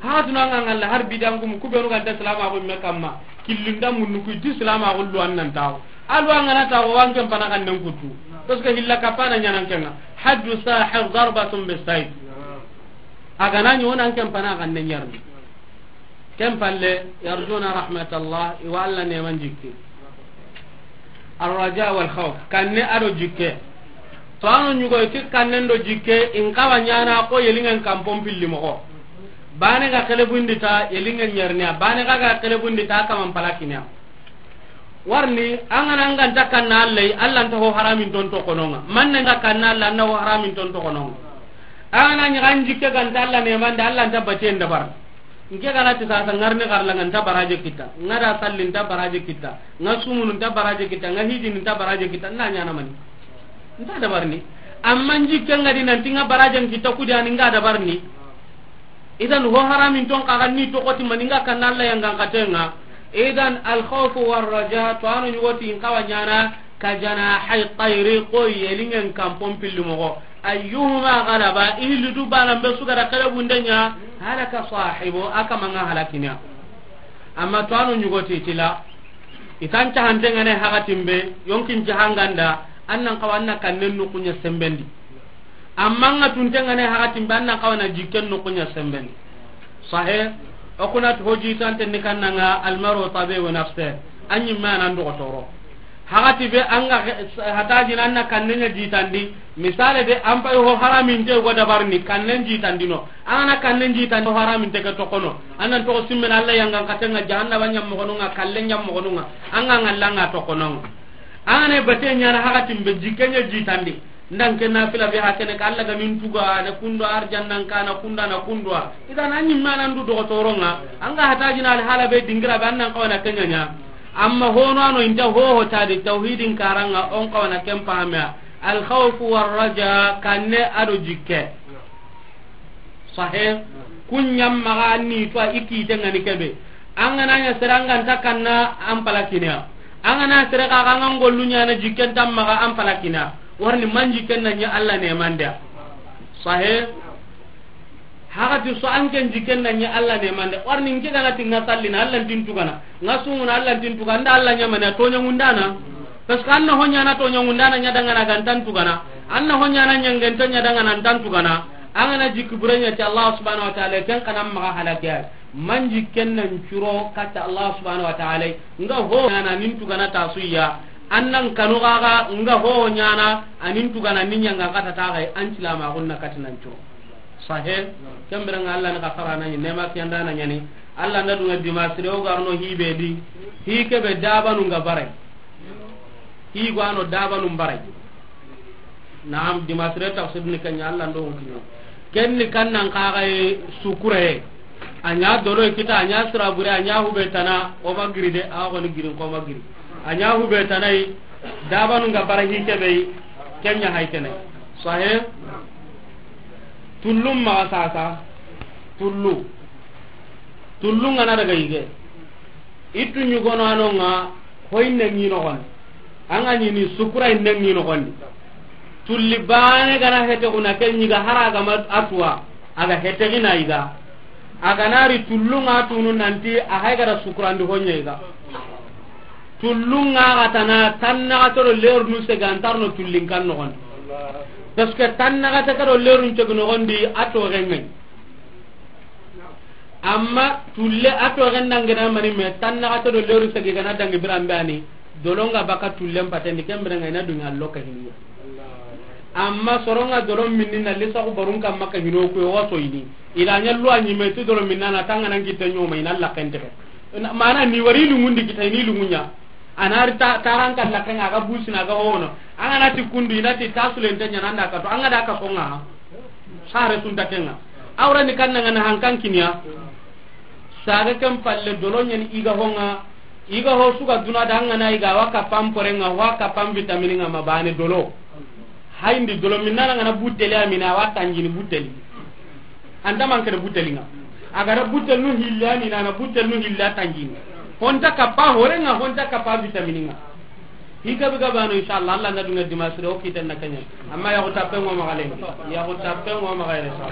Ha tuna ŋa ŋalla har bidangumu ku benu ga nta islamaxu me kamma. Killinda munnu ku ti islamaxu lo an nan taaxu. A lo an ga na taaxu, an ken pana xannen kutu. Parce que hilla kapana ɲanan ken ŋa. حد الساحر ضربة بالسيف. A ga na ɲi, o na an ken pana xannen ɲarni. Ken palle, يرجون رحمة الله, i wa Alla neeman jikki. الرجاء والخوف, kanne ado jikke. To ano ɲugo ti kannen do jikke, in kawa ɲaana ko yelingen kampon pilli moxo. Bane ga kelebundi ta, yelingen ɲarniya. Bane ga ga kelebundi ta, kaman palakiniya. Warni, an ga na an ga nta kanna Alla yi, Alla nta ho haramin ton to kononga. Man na nta kanna Alla, an na ho haramin ton to kononga. An ga na ɲi an jikke ga nta Alla neeman da, Alla nta baten dabar. Nke ga na ti sasa ŋarni xarla, nga nta baraje kita, nga da salli nta baraje kita, nga sumunu nta baraje kita, nga hijini nta baraje kita, na ɲaana mani? Nta dabarni. Amma n jikke nga di nanti nga barajen kita, kudi ani nga dabarni. Idan ho haramin ton xa ga ni to koti mani nga kanna Alla yangan katenga. Idan al khawfu war raja, to ano ɲugo ti in kawa ɲaana كجناحي الطير, ko yelingen kanpon pilli moxo. أيهما غلب, i hilli du banan be su ga da xelebunde ɲa, هلك صاحبه, a kaman ŋa halakina. Amma to a no ɲugo ti tila, i tan cahanten ŋa ne hakatin be, yonkin cahanganda, an nan xawa an na kannen nuxun ɲa senbendi. Amma an ga tunten ŋa ne hakatin be, an nan xawa na jikken nuxun ɲa senbendi. Sahe, o kuna ti ho jitante ni kannan ŋa, المرء طبيب نفسه, a ɲimme a nan dogotoro. Hakati be an ga he-, hatajina an na kannen ɲa jitandi. Misale de, an pay ho haraminte go dabarni, kannen jitandi no. An ga na kannen jitandi, ho haraminte ke toxono. An nan toxo simmena Alla yangan katen ŋa, jahannaba ɲammoxonun ŋa, kallen ɲammoxonun ŋa. An ga ŋalla an ga toxono ŋa. An ga na bate ɲana hakatin be, jikken ɲa jitandi. Ndan ke nafila be hakene ka Alla ga nin tuga na kundo, arjannan kana kunda na kundo. Idan an ɲimme a nan du dogotoron ŋa, an ga hatajina al hala be dingira be, an nan xawa na ken ɲa. Amma hono a no inta hoho tadi tawhidin karan ŋa, on xawa na ken pahame. الخوف والرجاء, kanne a do jikke. Sahe, kun ɲammaxa ni to a i kiten ŋa ni kebe. An ga na ɲa sere an ga nta kanna, an palakina. An ga na sere xa, xa an ga ngollu ɲana jikken tammaxa, an palakina. Warni man jikken na ɲa Alla ne mande. Sahe, hakati su an ken jikken na ɲa Alla ne mande. Warni nke ga na ti ŋa sallina, Alla ntin tugana. Ŋa sumuna, Alla ntin tugana. Nda Alla ɲamana, toɲa ŋundana. Parce que an na ho ɲana toɲa ŋundana ɲa dangana ga ntan tugana. An na ho ɲana ɲangenta ɲa dangana ntan tugana. An ga na jikki bure ɲa ti Allah subhanahu wa ta'ala, ken xa na maxa halake. Man jikken nan curo katta Allah subhanahu wa ta'ala. Nga ho ɲana nin tugana ta suya. An nan kanu gaga nga ho ɲana anin tugana nin ɲanga kata ta gai an tilama gunna katinan curo. Sahe, kembere nga Allah ni ka farana ni nema kiyanda na ɲani. Allah nda dunga dimasire o garno hibe di. Hi kebe dabanu nga barai. Hi gwano dabanu barai. Naam, dimasire tafsir ni kanya Allah ndo wutino. Ken ni kannan kaga e sukure. Anya dolo kita, anya sirabure, anya hube tana, o magiri de, a ko ni girin ko magiri. Anya hube tanai, dabanu nga bara hi kebe, kenya hay kene. Sahe? Tullum ma sasa. Tullu. Tullu nga na daga yige. Ittu ɲugono ano nga hoyinne ŋi noxondi. An ga ɲini sukura inne ŋi noxondi. Tulli bane gana hete kuna ke ɲiga hara gama atuwa. A ga hete gina yiga. A ga nari tullu nga tunu nanti a hay gara sukurandi honye yiga. Tullu nga ga tana tanna ga toro leru nu sega antarno tullin kan noxondi. Parce que tanna ga ta kado leru ntegu noxondi ato rengen. Amma tulle a toxen dangana mani me tannaxate do leru segi gana dangi biranbe ani. Dolonga baka tullen patendi kembere nga ina dunga lokka hiniya. Amma soronga dolon minni na lisaxu barun kam makka hino kuyo waso ini. Ila ɲallu a ɲime ti dolon minna na tangana ngitte ɲoma ina lakkenteke. Mana ni wari lungundi kita ini lungunya. Anari ta taran kan lakenga ga busina ga hono. Angana ti kundu ina ti tasulente ɲana anda kato anga da ka songa. Sare sunta kenga. Awra ni kanna ngana hankan kiniya. Saga ken palle dolo ɲani iga honga. Iga ho suga duna da ngana iga wa kapam porenga wa kapam vitamini nga mabane dolo. Hayndi dolo minna ngana buteli amina wa tanjini buteli. Anta mankere buteli nga. Agara butel nu hilla ni nana butel nu hilla tanjini. Honta kappa horenga honta kappa vitamini nga. Hika biga bano inshallah Allah na dunga dimasire o kiten na kanya. Amma ya ko tappe ngo magale. Ya ko tappe ngo magale sa.